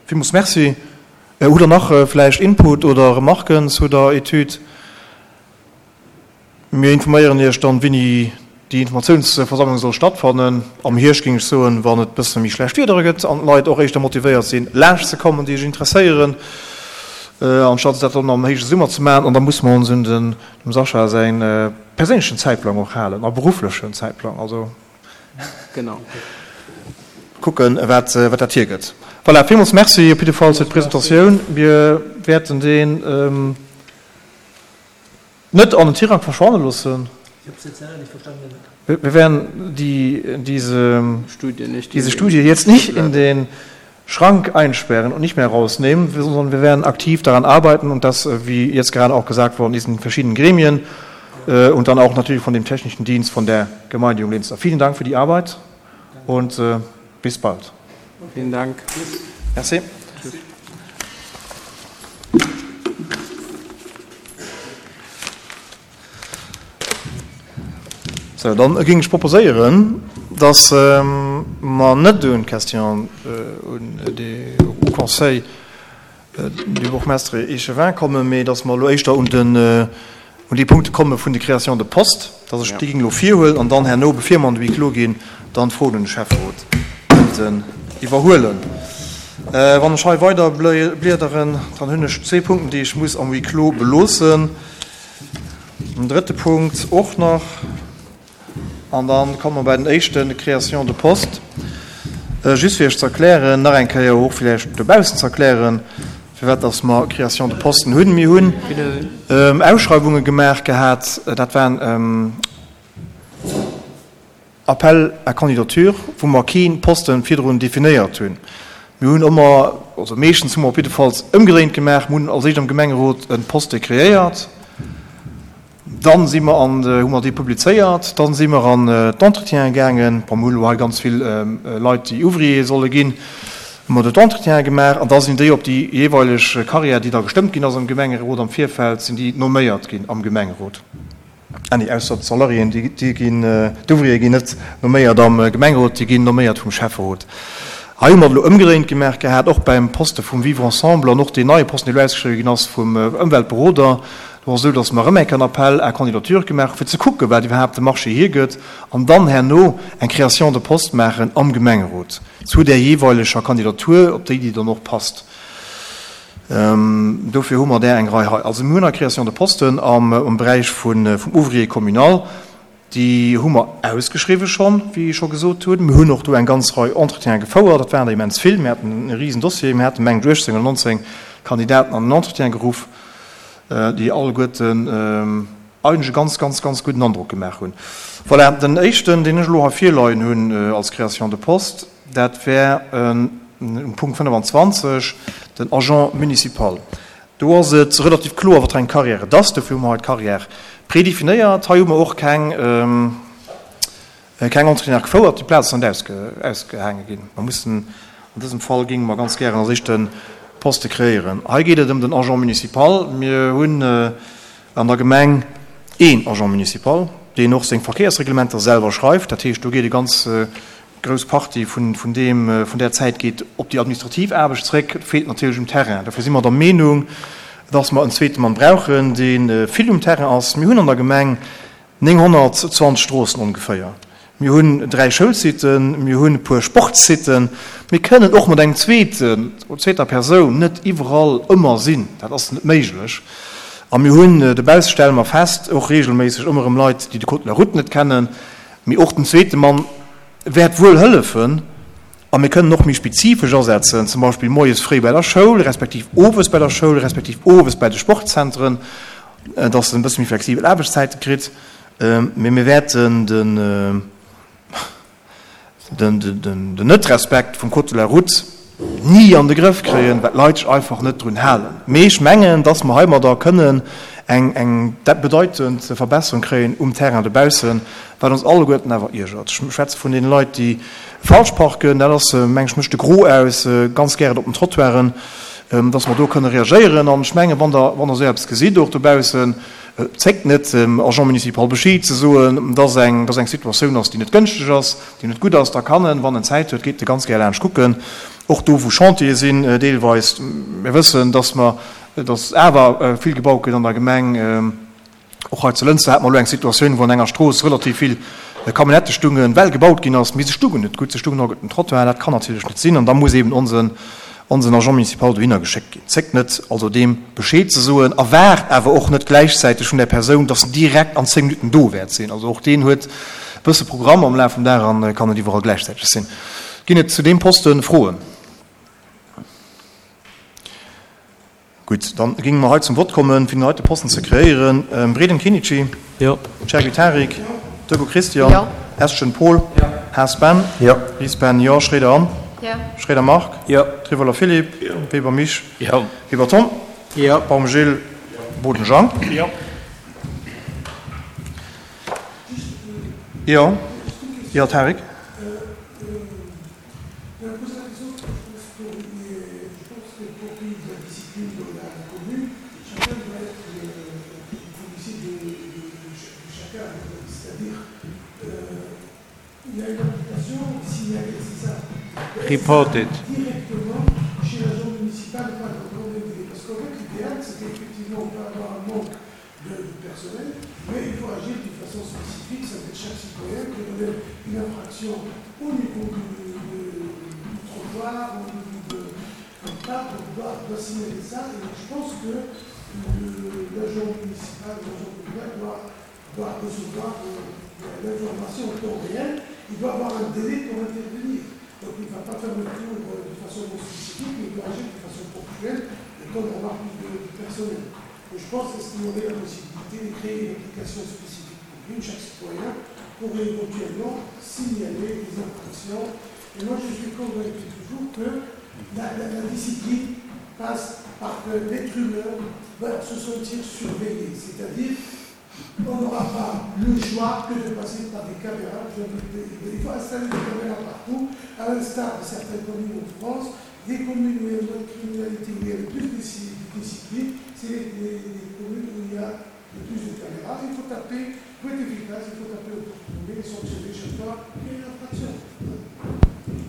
Villmools Merci. Hutt Der nach vläicht Input oder Remarken zu der Etüd? Mir informéieren Iech dann, wéini déi Informatiounsversammlung soll stattfannen. Am Hierscht, géing ech soen, wann et bësse méi schlecht Wiedere gëtt an d'Leit och éischter motivéiert sinn, laanscht ze kommen, déi sech interesséieren, anstatt dat dann am héije Summer ze maachen. An da musse mer ons un dem Sascha säi perséinlechen Zäitplang och halen a berufflechen Zäitplang. Also kucken, wat dat hiergëtt. Voilà, villmools Merci op jidde Fall fir d'Presentatioun. Mir wäerten deen. Net an den Tirang verschwanne loossen. Wir werden die, diese, diese Studie jetzt nicht in den Schrank einsperren und nicht mehr rausnehmen, sondern wir werden aktiv daran arbeiten und das, wie jetzt gerade auch gesagt worden ist, in verschiedenen Gremien und dann auch natürlich von dem technischen Dienst von der Gemeinde Junglinster. Vielen Dank für die Arbeit und bis bald. Vielen Dank. Merci. Sou, dann géing ech proposéieren, dass mer net un d'Question un de Haut Conseil du Bourgmestre et Échevin kommen, mee dass mer elo éischter un den, un déi Punkte komme vun de Créations de postes, dass ech déi géing elo virhuelen an dann herno, bevir mer an de Huis clos ginn, dann d'Froen un de Schäfferot kënnten iwwerhuelen. Wann ech hei weider bliederen, dann hunn ech zwee Punkten, déi ech muss am Huis clos beloossen. En drëtte Punkt och nach. An da komme mer bei den éischten, Création de postes. Just fir Iech ze erklären, nach eng Kéier och villäicht dobaussen ze erklären, firwat dass mer Création de posten hunn. Mir hunn Ausschreiwunge gemaach gehat, dat waren Appels à candidature, wou mer kee Poste virdrun definéiert hunn. Mir hunn ëmmer, also meeschtens hu mer op jiddefalls ëmgedréint gemaach, mir hunn als éischt am Gemengerot e Poste kreéiert, dann si mer an, hu mer dee publizéiert, dann si mer an d'Entretiene gaangen. Bon, mir hunn elo hei ganz vill Leit, déi Ouvrier solle ginn. Hu mer do d'Entretiene gemaach an da sinn déi op déi jeeweileg Carrière, déi da gestëmmt ginn ass am Gemengerot am Virfeld, sinn déi nomméiert ginn am Gemengerot. Ah nee, ausser d'Salariéen, déi ginn, d'Ouvriere ginn net nomméiert am Gemengerot, déi ginn nomméiert vum Schäfferot. Hei hu mer et elo ëmgedréint gemaach gehat, och beim Poste vum Vivre ensemble an och deen neie Posten, dee elo ausgeschriwwen ginn ass vum Ëmweltberoder. Do ass et esou, datt mer erëm eng Kéier en Appel à candidature gemaach hu fir ze kucken, wat iwwerhaapt de Marché hiergëtt an dann herno eng Création de poste maachen am Gemengerot. Zu där jeeweileger Kandidatur, op déi déi dann och passt. Dofir hu mer där eng Rei hei. Also mir hunn hei Création de posten am Beräich vum Ouvrier communal. Déi hu mer ausgeschriwwen schonn, wéi ech scho gesot hunn. Mir hunn och do eng ganz Rei Entretiene gefouert. Dat waren der immens vill. Mir haten e Risendossier. Mir haten, mengen ech, 18 oder 19 Kandidaten an den Entretien geruff, déi alleguerten eigentlech e ganz, ganz, ganz gudden Androck gemaach hunn. Voilà, den éischten, deen ech elo hei virleien hunn als Création de poste, dat wär um Punkt 25, den Agent municipal. Do ass et relativ kloer, wat fir eng Carrière et ass. Dofir hu mer hei d'Carrière prédéfinéiert. Hei hu mer och keng, Keng Entretiene gefouert, déi Plaz ass net ausgehaange ginn. Mer mussen, an dësem Fall géinge mer ganz gären als éischt de Poste kreéieren. Hei geet et ëm den Agent municipal. Mir hunn an der Gemeng een Agent municipal, deen och seng Verkéiersreglementer selwer schreift. Dat heescht, do geet e ganz grouss Partie vun deem, vun där Zäit geet op déi administrativ Aarbecht zréck. Et feelt natierlech um Terrain. Dofir si mer der Meenung, dass mer en zweete Mann brauchen, dee vill um Terrain ass. Mir hunn an der Gemeng 920 Stroossen ongeféier. Mir hunn 3 Schoulsiten, mir hunn e puer Sportssiten. Mir kënnen och mat engem zweeten oder zweeter Persoun net iwwerall ëmmer sinn. Dat ass net méiglech. A mir hunn, dobausse stelle mer fest, och regelméisseg ëmmer erëm Leit, déi de Code de la route net kennen. Mee och den zweete Mann wäert wuel hëllefen. A mir kënnen och méi spezifesch asetzen, zum Beispill moies fréi bei der Schoul, respektiv owes bei der Schoul, respektiv owes bei de Sportzentren, dass en e bësse méi flexibel Aarbechtszäite kritt. Mee mir wäerten den Net-Respekt vum Code de la route ni an de Grëff kréien, well d'Leit sech einfach net drun halen. Mee ech mengen, dass mer heimadder kënnen eng bedeitend Verbesserung kréien um Terrain dobaussen, wat ons alleguerten awer iergert. Ech schwätze vun deene Leit, déi falsch parken, dat ass, meng ech, mécht de Gros aus, ganz gären op den Trottoiren, dass mer do kënne reagéieren. An ech mengen, wann Der, wann Der esou eppes gesitt och dobaussen, zéckt net, dem Agent municipal Bescheed ze soen, dass eng, dass eng Situatioun ass, déi net gënschteg ass, déi net gutt ass. Da kann en, wann en Zäit huet, geet e ganz gär laanscht kucken, och do, wou Chantiere sinn deelweis. Mir wëssen, dass mer, dass awer vill gebaut gëtt an der Gemeng. Och hei zu Lënster hate mer elo eng Situatioun, wou an enger Strooss relativ vill Camionnettë stungen, well gebaut ginn ass, mee se stungen net gutt, se stungen och op dem Trottoir. Dat kann natierlech net sinn an da muss eeben onsen, onsen Agent municipal dohinner geschéckt ginn. Zéckt net also deem Bescheed ze soen a waart awer och net gläichzäiteg vun där Persoun, dass en direkt an 10 Minutten do wäert sinn. Also och deen huet e bësse Programm am Laf vum Dag a kann net iwwerall gläichzäiteg sinn. Ginn et zu deem Poste Froen? Gutt, dann géinge mer hei zum Vott kommen, fir den heite Posten ze kreéieren. Breden Kinnici. Jo. Cherky Tarik. Jo. Deco Christian. Jo. Estgen Paul. Jo. Haas Ben. Jo. Ries Ben. Jo. Schroeder Anne. Jo. Schroeder Marc. Jo. Trivoller Philippe. Jo. Weber Misch. Jo. Weber Tom. Jo. Baum Gilles. Boden Jean. Jo. Jo. Jo, Tarik. Report it. de il faut agir d'une façon spécifique, ça veut dire chaque citoyen qui relève une infraction au niveau du, du, trottoir, au niveau de, parc, doit, doit signaler ça. Et je pense que l'agent municipal, l'agent communal doit, doit recevoir euh, l'information en temps réel. Il doit avoir un délai pour intervenir. Donc il ne va pas faire le tour euh, de façon non spécifique, mais il doit agir de façon ponctuelle, le temps d'avoir plus de, de personnel. Et je pense qu'il y aurait la possibilité de créer une application spécifique pour lui, chaque citoyen pourrait éventuellement signaler des infractions. Et moi, je suis convaincu toujours que la, la, la discipline passe par que l'être humain va se sentir surveillé, c'est-à-dire on n'aura pas le choix que de passer par des caméras. Il faut installer des caméras partout, à l'instar de certaines communes en France. Les communes où il y a moins de criminalité, où il y a le plus de discipline, c'est les, les, les communes où il y a le plus de caméras. Il faut taper, pour être efficace, il faut taper au porte-monnaie et sanctionner chaque fois qu'il y a une infraction.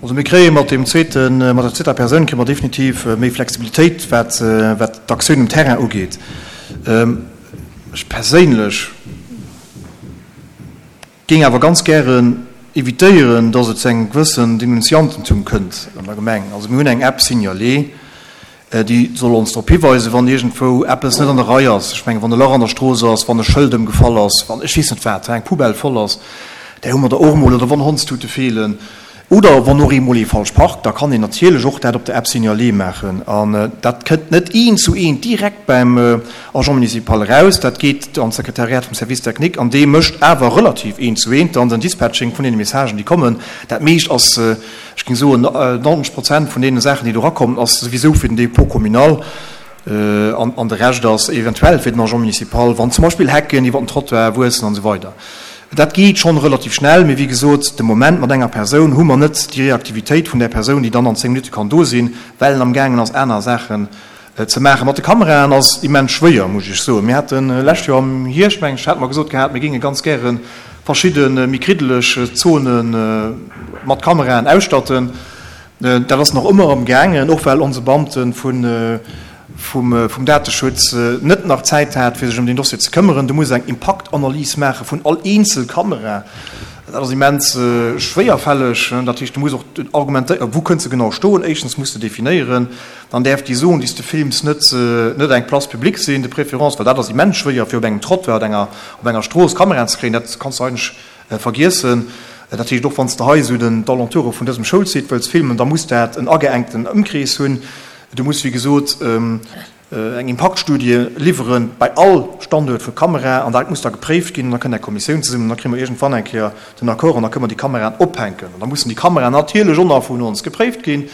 Also mir kréie mat deem zweeten, mat der zweeter Persoun kréie mer definitiv méi Flexibilitéit, wat, wat d'Aktioun um Terrain ugeet. Ech perséinlech géing awer ganz gären evitéieren, dass et zu engem gewëssen Denunziantentum kënnt an der Gemeng. Also mir hunn eng App Signaler, déi soll ons drop hiweisen, wann iergendwou eppes net an der Rei ass. Ech mengen, wann e Lach an der Strooss ass, wann e Schëld ëmgefall ass, wann ech weess net wat, eng Poubelle voll ass, där hu mer der och emol, oder wann Hondstute feelen oder wann och eemol ee falsch parkt, da kann een natierlech och dat op der App Signaler maachen. An dat kënnt net eent zu eent direkt beim Agent municipal eraus, dat geet an d'Sekretariat vum Service technique an dee mécht awer relativ eent zu eent dann den Dispatching vun deene Messagen, déi kommen. Dat meescht ass Ech géing soen, 90 Prozent vun deene Saachen, déi do erakommen, ass souwisou fir den Dépôt communal an de Rescht ass eventuell fir den Agent municipal, wann zum Beispill Hecken iwwer den Trottoir wuessen an esou weider. Dat geet schonn relativ schnell, mee wéi gesot, de Moment mat enger Persoun hu mer net déi Reaktivitéit vun där Persoun, déi dann an 10 Minutte kann do sinn, well en amgaangen ass aner Saachen ze maachen. Mat de Kameraen ass immens schwéier, muss ech Iech soen. Mir hate lescht Joer am Hierscht, mengen ech, hate mer gesot gehat, mir géinge ganz gäre verschidde méi kriddeleg Zone mat Kameraen ausstatten. Dat ass nach ëmmer am gaangen, och well onse Beamte vum Dateschutz net nach Zäit hat, fir sech ëm deen Dossier ze këmmeren. Du muss eng Impaktanalys maache vun all eenzel Kamera. Dat ass immens schwéierfälleg. Dat heescht, du muss och argumentéieren, wou kënnt se genau stoen. Éischtens muss de definéieren, Dann däerf déi Zone, déi s de films, net net eng Place publique sinn, de préférence, well dat ass immens schwéier, fir op engem Trottoir oder enger op enger Strooss Kameraen ze kréien. Dat kanns de eigentlech vergiessen. Dat heescht, och wann s de hei esou den d'Alentoure vun dësem Schoulsite wëlls filmen, da muss dat en ageengten Ëmkrees hunn. Du muss, wéi gesot, eng Impaktstudie liwweren bei all Standuert vu Kamera an dat muss da gepréift ginn an da kënnt eng Kommissioun zesummen an da kréie mer iergendwann eng Kéier den Accord an da kënne mer déi Kameraen ophänken. An da mussen déi Kameraen natierlech och nach vun ons gepréift ginn,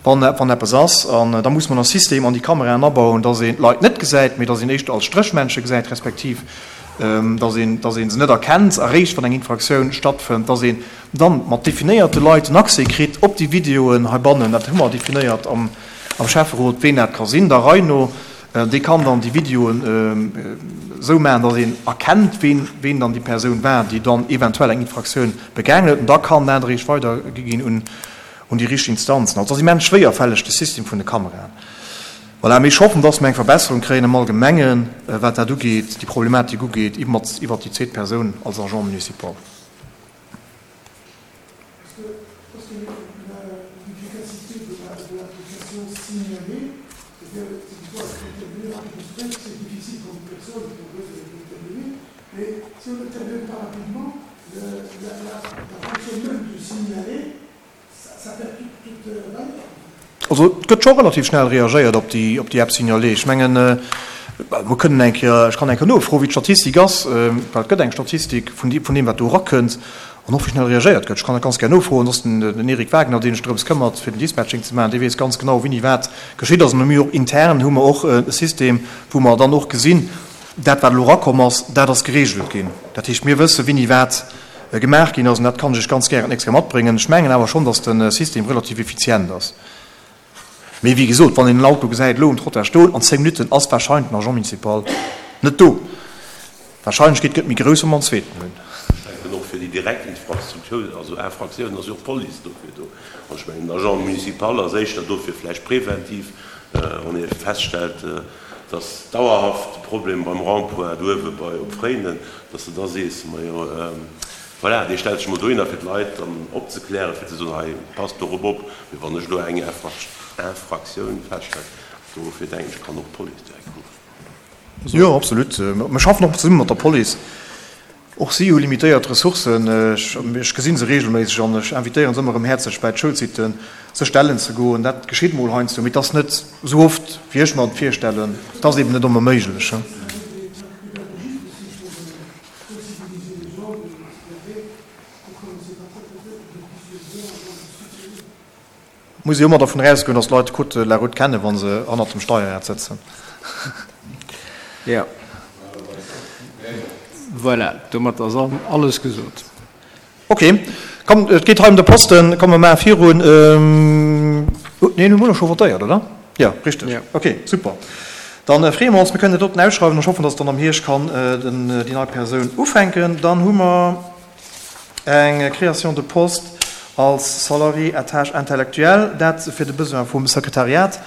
wann wann eppes ass. An da muss mer e System an déi Kameraen abauen, dass een d'Leit net gesäit, mee dass een éischter als Stréchmännche gesäit, respektiv dass een dass ee se net erkennt eréischt wann eng Infraktioun stattfënnt, dass een dann mat definéierte Leit den Accès kritt op déi Videoen heibannen. Dat hu mer definéiert am. Am Schäfferot, ween dat ka sinn, der Rei no, dee kann dann déi Videoen esou maachen, datt een erkennt, ween, ween dann déi Persoun war, déi dann eventuell eng Infraktioun begaangen huet. An da kann dat eréischt weidergi ginn un, un déi richteg Instanzen. Also et ass immens schwéierfälleg, de System vun de Kameraen. Voilà, mee ech hoffen, datt mer eng Verbesserung kréien am Allgemengen, wat dat ugeet, déi Problematik ugeet, iwwert déi zweet Persoun als Agent municipal. Also et gëtt scho relativ schnell reagéiert op déi op déi App Signaler. Ech mengen, mer kënnen eng Kéier, ech kann eng Kéier nofroen, wéi d'Statistik ass, well et gëtt eng Statistik vun vun deem, wat do erakënnt an och wéi schnell reagéiert gëtt. Ech kann dat ganz gär nofroen. Soss den den Eric Wagner, dee sech drëms këmmert, fir den Dispatching ze maachen, dee weess ganz genau, wéini wat geschitt ass. An mir och intern hu mer och e System, wou mer dann och gesinn, dat wat elo erakomm ass, dat ass geregelt ginn. Dat heescht, mir wësse wéini wat gemaach ginn ass, an dat kann ech Iech ganz gären d'nächst Kéier matbréngen. Ech mengen awer schonn, dass de System relativ effizient ass. Mee wéi gesot, wann een en Auto gesäit elo um Trottoir stoen, an 10 Minutten ass warscheinlech den Agent municipal net do. D'Warscheinlechkeet gëtt méi grouss, wa mer en zweeten hunn. Ech denken och fir déi direkt Infrastruktur, also Infractiounen, ass jo och d'Police dofir do. An ech mengen, den Agent municipal ass éischter do fir vläicht preventiv, wann ee feststellt, dass dauerhaft de Problem beim Rond-point do uewe bei op Fréinen, dass de da sees, majo voilà, dee stellt sech mol dohinner fir d'Leit dann opzeklären, fir ze soen, hei passt dorop op. Mee wann ech elo eng Infraktioun feststellen, dofir denken ech, kann och d'Police direkt kommen. Jo, absolut. Mir schaffen och zesumme mat der Police. Och si hu limitéiert Ressourcen. Ech gesi se reegelméisseg an ech invitéiere se ëmmer erëm häerzlech bäi d'Schoulsitten sech stellen ze goen. Dat geschitt mol heiansdo, mee et ass net esou oft, wéi ech mer et virstellen. Et ass eben net ëmmer méiglech. Muss ee jo ëmmer dervun erausgoen, datt d'Leit de Code de la route kennen, wa se hannert dem Steierrad sëtzen. Jo. Voilà, domat ass alles gesot. Ok, komm, et geet hei ëm de Posten. Komm, mer maache virun. Neen, hu mer elo scho votéiert, oder? Jo, richteg. Ok, super. Dann freeë mer ons, mir kënnen dat doten ausschreiwen an ech hoffen, dass dann am Hierscht kann déi nei Persoun ufänken. Dann hu mer eng Création de poste als Salarié à tâche intellectuelle, dat fir de Besoin vum Sekretariat.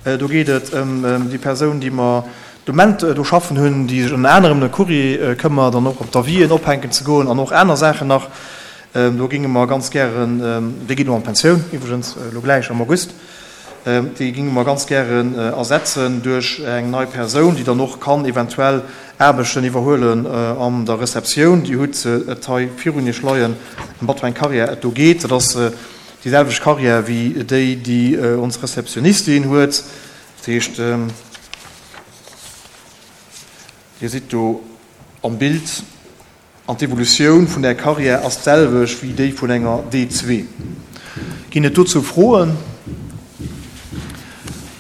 Do geet et ëm déi Persoun, déi mer de Moment do schaffen hunn, déi sech ënner anerem ëm de Courrier këmmert an och op d'Avisen ophänken ze goen an och aner Saachen nach. Do géinge mer ganz gären, déi geet elo an d'Pensioun iwwregens, elo gläich am August, déi géinge mer ganz gären ersetzen duerch eng nei Persoun, déi dann och kann eventuell Aarbechten iwwerhuelen an der Receptioun. Dir hutt et hei virun Iech leien, ëm wat fir eng Carrière et do geet. Dat ass déi selwecht Carrière wéi déi, déi ons Receptionnistin huet. Dat heescht, Dir sidd do am Bild. An d'Evolutioun vun där Carrière ass d'selwecht wéi déi vun enger D2. Ginn et dozou Froen?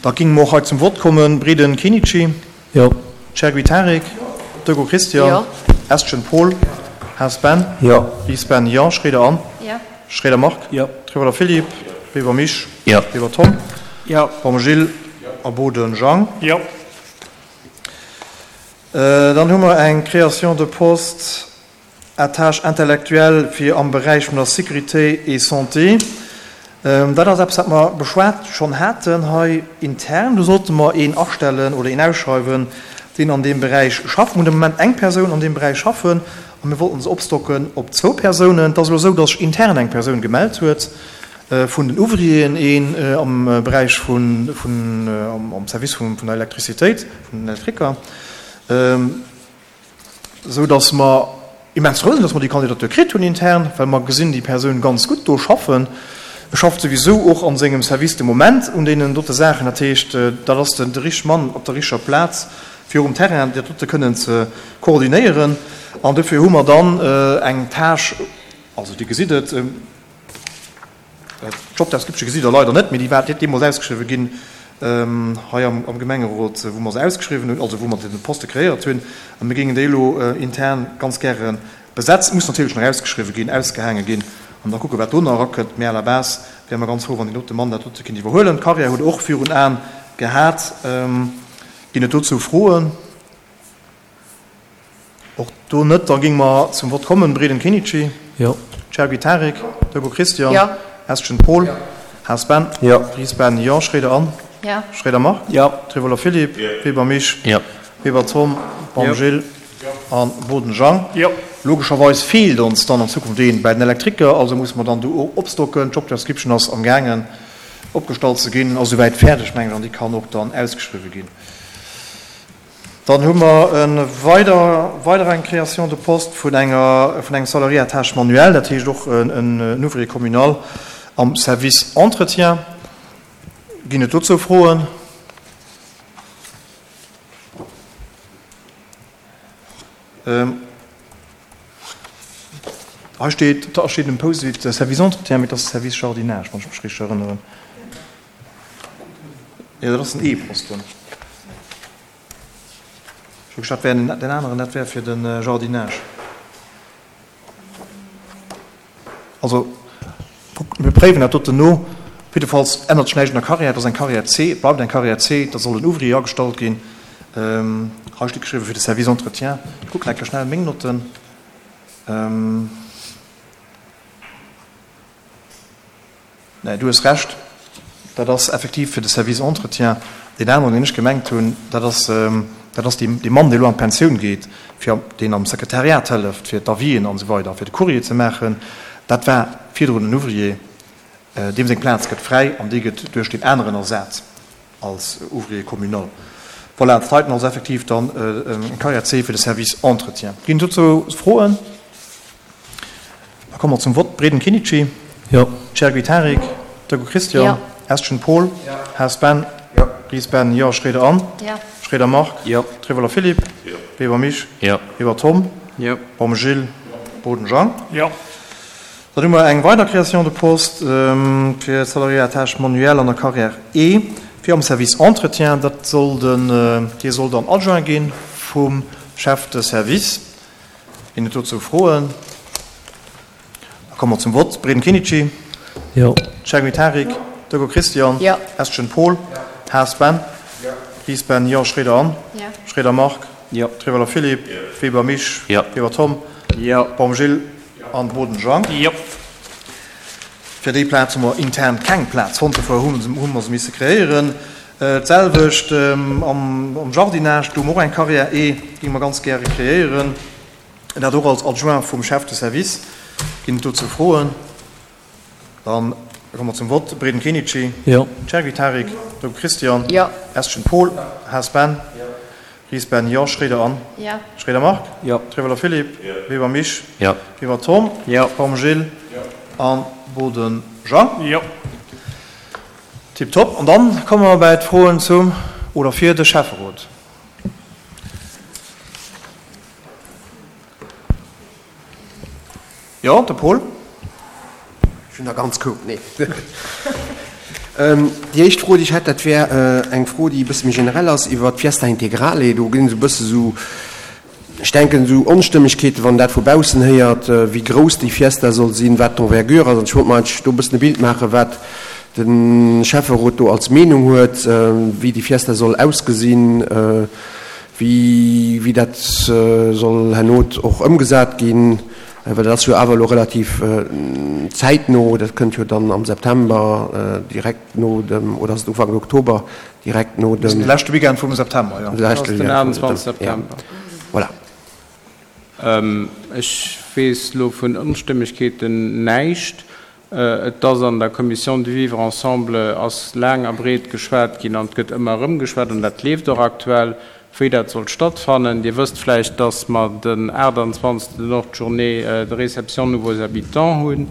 Da géinge mer och hei zum Vott kommen. Breden Kenichi? Jo. Chergui Tarik? Dögo Christian? Jo. Estgen Paul? Haas Ben? Jo. Ries Ben? Jo. Schroeder Anne? Jo. Schroeder Marc? Jo. Trewelder Philippe? Weber Misch? Jo. Weber Tom? Jo. Baum Gilles? A Boden Jang? Jo. Dann hu mer eng Création de poste à tâche intellectuelle fir am Beräich vun der Sécurité et Santé. Dat ass eppes, wat mer beschwat schonn haten hei intern. Do sollte mer een astellen oder een ausschreiwen, deen an deem Beräich schafft. Mir hunn de Moment eng Persoun an deem Beräich schaffen a mir wollten se opstocken op zwou Persounen. Et ass elo esou, dass sech intern eng Persoun gemellt huet vun den Ouvrieren, een am Beräich vun, am Service vun der Elektrizitéit, vun den Elektriker, esou dass mer immens frou sinn, dass mer déi Kandidatur kritt hunn intern, well mer gesinn déi Persoun ganz gutt do schaffen. E schafft souwisou och a sengem Service de Moment un deenen dote Saachen. Dat heescht, dat ass de richtege Mann op der richteger Plaz, fir um Terrain dat dote kënnen ze koordinéieren. An dofir hu mer dann eng Tâche, also Dir gesitt et, D'Job description gesitt Der leider net, mee déi war deemools ausgeschriwwen ginn hei am Gemengerot, wou mer se ausgeschriwwen hunn, also wou mer de Poste kreéiert hunn. A mir géingen déi elo intern ganz gäre besetzen. Muss natierlech nach ausgeschriwwen ginn, ausgehaange ginn an da kucken, wat do nach erakënnt. Mee à la base wäre mer ganz frou, wann deen dote Mann dat dote kéint iwwerhuelen. D'Carrière huet och virun Aen gehat. Ginn et dozou Froen? Och do net. Da géinge mer zum Vott kommen. Breden Kenichi. Jo. Chergui Tarik. Dögo Christian. Jo. Estgen Paul. Jo. Haas Ben. Jo. Ries Ben. Jo. Schroeder Anne. Jo. Schroeder Marc. Jo. Trevoller Philippe. Jo. Weber Misch. Jo. Weber Tom. Baum Jo. Gilles. A Boden Jang. Jo. Logescherweis feelt ons dann an Zukunft een bäi den Elektriker, also musse mer dann do och opstocken. D'Job description ass amgaangen opgestallt ze ginn, ass esouwäit fäerdeg, mengen ech, an déi kann och dann ausgeschriwwen ginn. Dann hu mer e weider, weider eng Création de poste vun enger, vun engem Salarié à tâche manuelle, dat heescht och en Ouvrier communal am Service Entretien. Ginn et dozou Froen? Hei steet, da steet um Post-it Service Entretien, mee et ass Service Jardinage, wann ech mech richteg erënneren. Jo, dat ass den E-Posten. Ech hu gedacht, dat wär den aneren, dat wär fir de Jardinage. Also, mir préiwen dat doten no. Jiddefalls ännert sech näischt un der Carrière. Et ass eng Carrière C, et bleift eng Carrière C, da soll en Ouvrier agestallt ginn. Hei steet geschriwwen, fir de Service Entretien. Ech kucken eng Kéier schnell meng Notten. Nee, du hues Recht, dat ass effektiv fir de Service Entretien. Deen aneren, deen ech gemengt hunn, dat ass, dat ass dee Mann, dee elo an d'Pensioun geet, fir, deen am Sekretariat hëlleft, fir d'Avisen an esou weider, fir de Courrier ze maachen. Dat war virdrun en Ouvrier. Deem seng Plaz gëtt fräi an déi gëtt duerch deen aneren ersat als Ouvrier communal. Voilà, dat heiten ass effektiv dann eng Carrière C fir de Service Entretien. Ginn et dozou Froen? Da komme mer zum Vott. Breden Kenichi. Jo. Chergui Tarik. Dögo Christian. Jo. Estgen Paul. Jo. Haas Ben. Jo. Ries Ben. Jo. Schroeder Anne. Jo. Schroeder Marc. Jo. Trevoller Philippe. Jo. Weber Misch. Jo. Weber Tom. Jo. Baum Gilles. Boden Jang. Jo. Dann hu mer eng weider Création de poste fir Salarié à tâche manuelle an der Carrière E fir am Service Entretien. Dat soll den, dee soll dann Adjoint gi vum Chef de Service. Ginn et dozou Froen? Da komme mer zum Vott. Breden Kenichi. Jo. Chergui Tarik. Deco Christian. Jo. Estgen Paul. Haas Ben. Ries Ben, jo. Schroeder Anne. Jo. Schroeder Marc. Jo. Trewelder Philippe. Weber Misch. Jo. Weber Tom. Jo. Baum Gilles. An Boden Jean. Jo. Fir déi Plaz hu mer intern keng Plaz fonnt, dofir hu mer se misse kreéieren. D'selwecht am Jardinage, do hu mer och eng Carrière E, géinge mer ganz gäre kreéieren. Dat och als Adjoint vum Chef de service. Ginn et dozou Froen? Dann komme mer zum Vott. Breden Kenichi. Jo. Chergui Tarik. Dogu Christian. Jo. Estgen Paul. Haas Ben. Ries Ben, Jo. Schroeder Anne. Jo. Schroeder Marc. Jo. Treweler Philippe. Jo. Weber Misch. Jo. Weber Tom. Jo. Baum Gilles. Jo. An Boden Jean. Jo. Tiptop. An dann komme mer bäi d'Froen zum oder fir de Schäfferot. Jo, de Paul. Ech hunn der ganz Koup, nee. Déi éischt Fro, déi ech hätt, dat wär eng Fro, déi e bësse méi generell ass, iwwer d'Fiesta Integrale. Do ginn esou e bësse esou, ech denken, esou Onstëmmegkeeten, wann een dat vu baussen héiert, wéi grouss déi Fiesta soll sinn, wat d'Envergure ass. An ech wollt mer eigentlech do e bëssen e Bild maachen, wat de Schäfferot do als Meenung huet, wéi déi Fiesta soll ausgesinn, wéi dat soll herno och ëmgesat ginn, well dat ass jo awer elo relativ zäitno, dat kënnt jo dann am September direkt no dem, oder ass et Ufank Oktober, direkt no dem. De leschte Weekend vum September, jo. De leschte Den 28 September. Voilà. Ech weess elo vun Onstëmmegkeeten näischt. Et ass an der Commission du vivre ensemble ass laang a breet geschwat ginn an et gëtt ëmmer erëm geschwat, an dat leeft och aktuell, wéi dat soll stattfannen. Dir wësst vläicht, dass mer den 28. och d'Journée de réception nouveaux habitants hunn.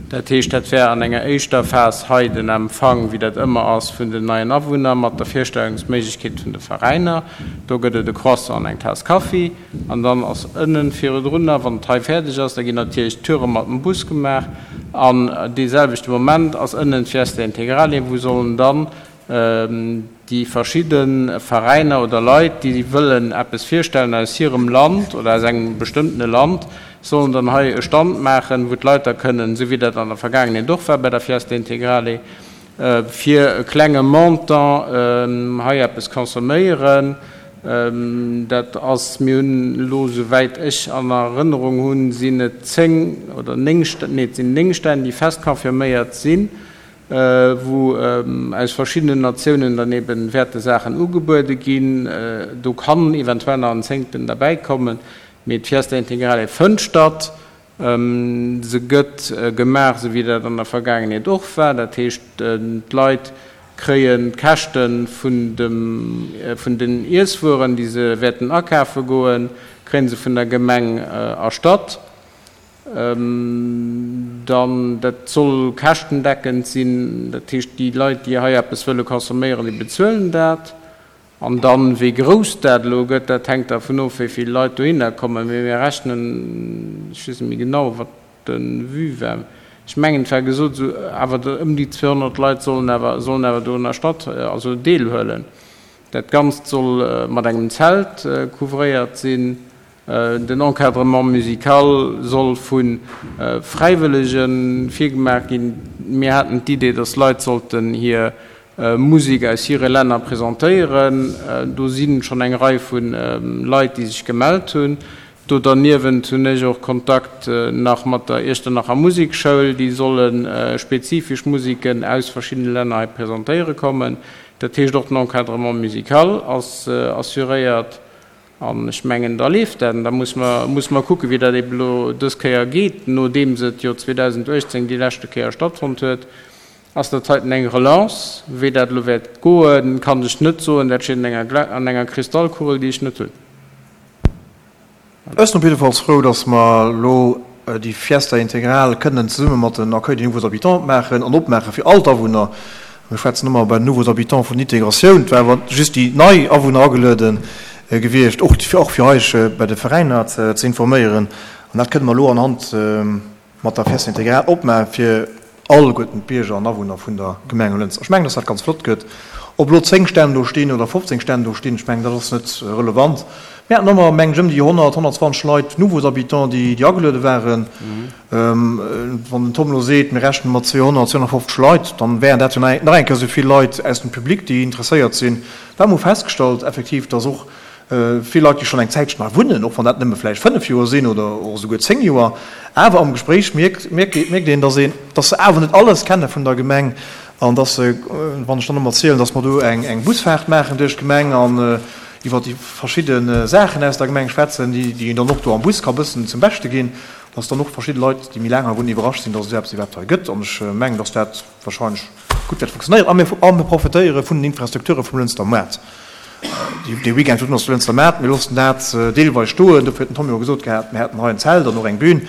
Dat heescht, dat wär an enger éischter Phas hei den Empfang, wéi dat ëmmer ass, vun den neien Awunner mat der Virstellungsméiglechkeet vun de Veräiner. Do gëtt et e Croissant an eng Taass Kaffi. An dann ass ënnen virdrunner, wann et hei fäerdeg ass, da ginn natierlech d'Toure mat dem Bus gemaach. An dee selwechte Moment ass ënnen d'Fiesta Integrale, wou sollen dann déi verschidde Veräiner oder Leit, déi wëllen eppes virstellen aus hirem Land oder aus engem bestëmmtene Land, sollen dann hei e Stand maachen, wou d'Leit da kënnen, esou wéi dat an der Vergaangenheet och war bei der Fiesta Integrale, fir e klenge Montant hei eppes consomméieren. Dat ass, mir hunn elo, souwäit ech an Erënnerung hunn, sinn et 10 oder 9, nee et sinn 9 Stänn, déi fest confirméiert sinn, wou aus verschiddenen Natiounen dann ebe wäerte Saachen ugebuede ginn. Do kann eventuell nach en zéngten derbäikommen, mee d'Fiesta Integrale fënnt statt. Se gëtt gemaach, esou wéi dat an der Vergaangenheet och war. Dat heescht, d'Leit kréien d'Käschte vun den Iesswueren, déi se wäerten akafe goen, kréie se vun der Gemeng erstatt. Dann, dat soll käschtendeckend sinn. Dat heescht, déi Leit, déi hei eppes wëlle consomméieren, déi bezuelen dat. An dann, wéi grouss dat elo gëtt, dat hänkt dervun of, wéi vill Leit dohinner kommen. Mee mir rechnen, ech weess net méi genau, wat de Vue war, ech mengen, et war gesot, esou awer ëm déi 200 Leit sollen awer, sollen awer dorunner statt, also deelhuelen. Dat Ganzt soll mat engem Zelt couvréiert sinn. Den Encadrement musical soll vu Fräiwëllege virgemaach ginn. Mir haten d'Idee, dass Leit sollten hir Musek aus hire Länner presentéieren. Do si schonn eng Rei vu Leit, déi sech gemellt hunn. Do derniewent hunn ech och Kontakt nach mat der Iechternacher Musekschoul. Déi solle spezifesch Museken aus verschiddene Länner hei presentéiere kommen. Dat heescht, och den Encadrement musical ass assuréiert. An ech mengen, da leeft dat. An da muss mer, muss mer kucken, wéi dat eeben elo dës Kéier geet, nodeems et jo 2018 déi leschte Kéier stattfonnt huet. Ass dat heiten eng Relance? Wéi dat elo wäert goen, kann ech net soen. Dat steet an enger, an enger Kristallkugel, déi ech net hunn. Ech sinn op jiddefalls frou, dass mer elo déi Fiesta Integral kënnen zesumme mat den Accueil des nouveaux habitants maachen an opmaache fir all d'Awunner. Mir schwätzen ëmmer bei den nouveaux habitants vun Integratioun. Et war awer just déi nei Awunner ageluede gewiescht, och fir eis bei de Veräiner ze informéieren. An dat kënne mer elo anhand mat der Fiesta Integral opmaache fir alleguerten d'Bierger an Awunner vun der Gemeng Lënster. Ech mengen, dass dat ganz flott gëtt. Ob elo 10 Stänn do stinn oder 15 Stänn do stinn, ech mengen, dat ass net relevant. Mir haten ëmmer, mengen ech, ëm déi 100, 120 Leit, nouveaux habitants, déi, déi ageluede waren. Wann den Tom elo seet, mir rechne mat 200, 250 Leit, dann wären dat jo nach eng Kéier esou vill Leit aus dem Public, déi interesséiert sinn. Well mer hu festgestallt effektiv, dass och vill Leit, déi schonn eng Zäitchen hei wunnen, och wann dat nëmme vläicht 5 Joer sinn oder och esouguer 10 Joer, awer am Gespréich mierkt, mierkt een, dass een, dass se awer net alles kenne vun der Gemeng an dass se, wann ech dann ëmmer erzielen, dass mer do eng, eng Busfaart maachen duerch d'Gemeng an iwwer déi verschidde Saachen aus der Gemeng schwätzen, déi, déi een dann och do am Bus ka bëssen zum Beschte ginn, dass dann och verschidde Leit, déi méi laang hei wunnen, iwwerrascht sinn, dass et esou eppes iwwerhaapt hei gëtt. An ech mengen, dass dat wahrscheinlech gutt wäert funktionéieren. A mir, a mir profitéiere vun den Infrastrukture vum Lënster Moart. Dee Weekend virun ass de Lënster Maart. Mir loossen dat deelweis stoen. Dofir huet den Tom jo gesot gehat, mir hätten hei en Zelt an och eng Bühn.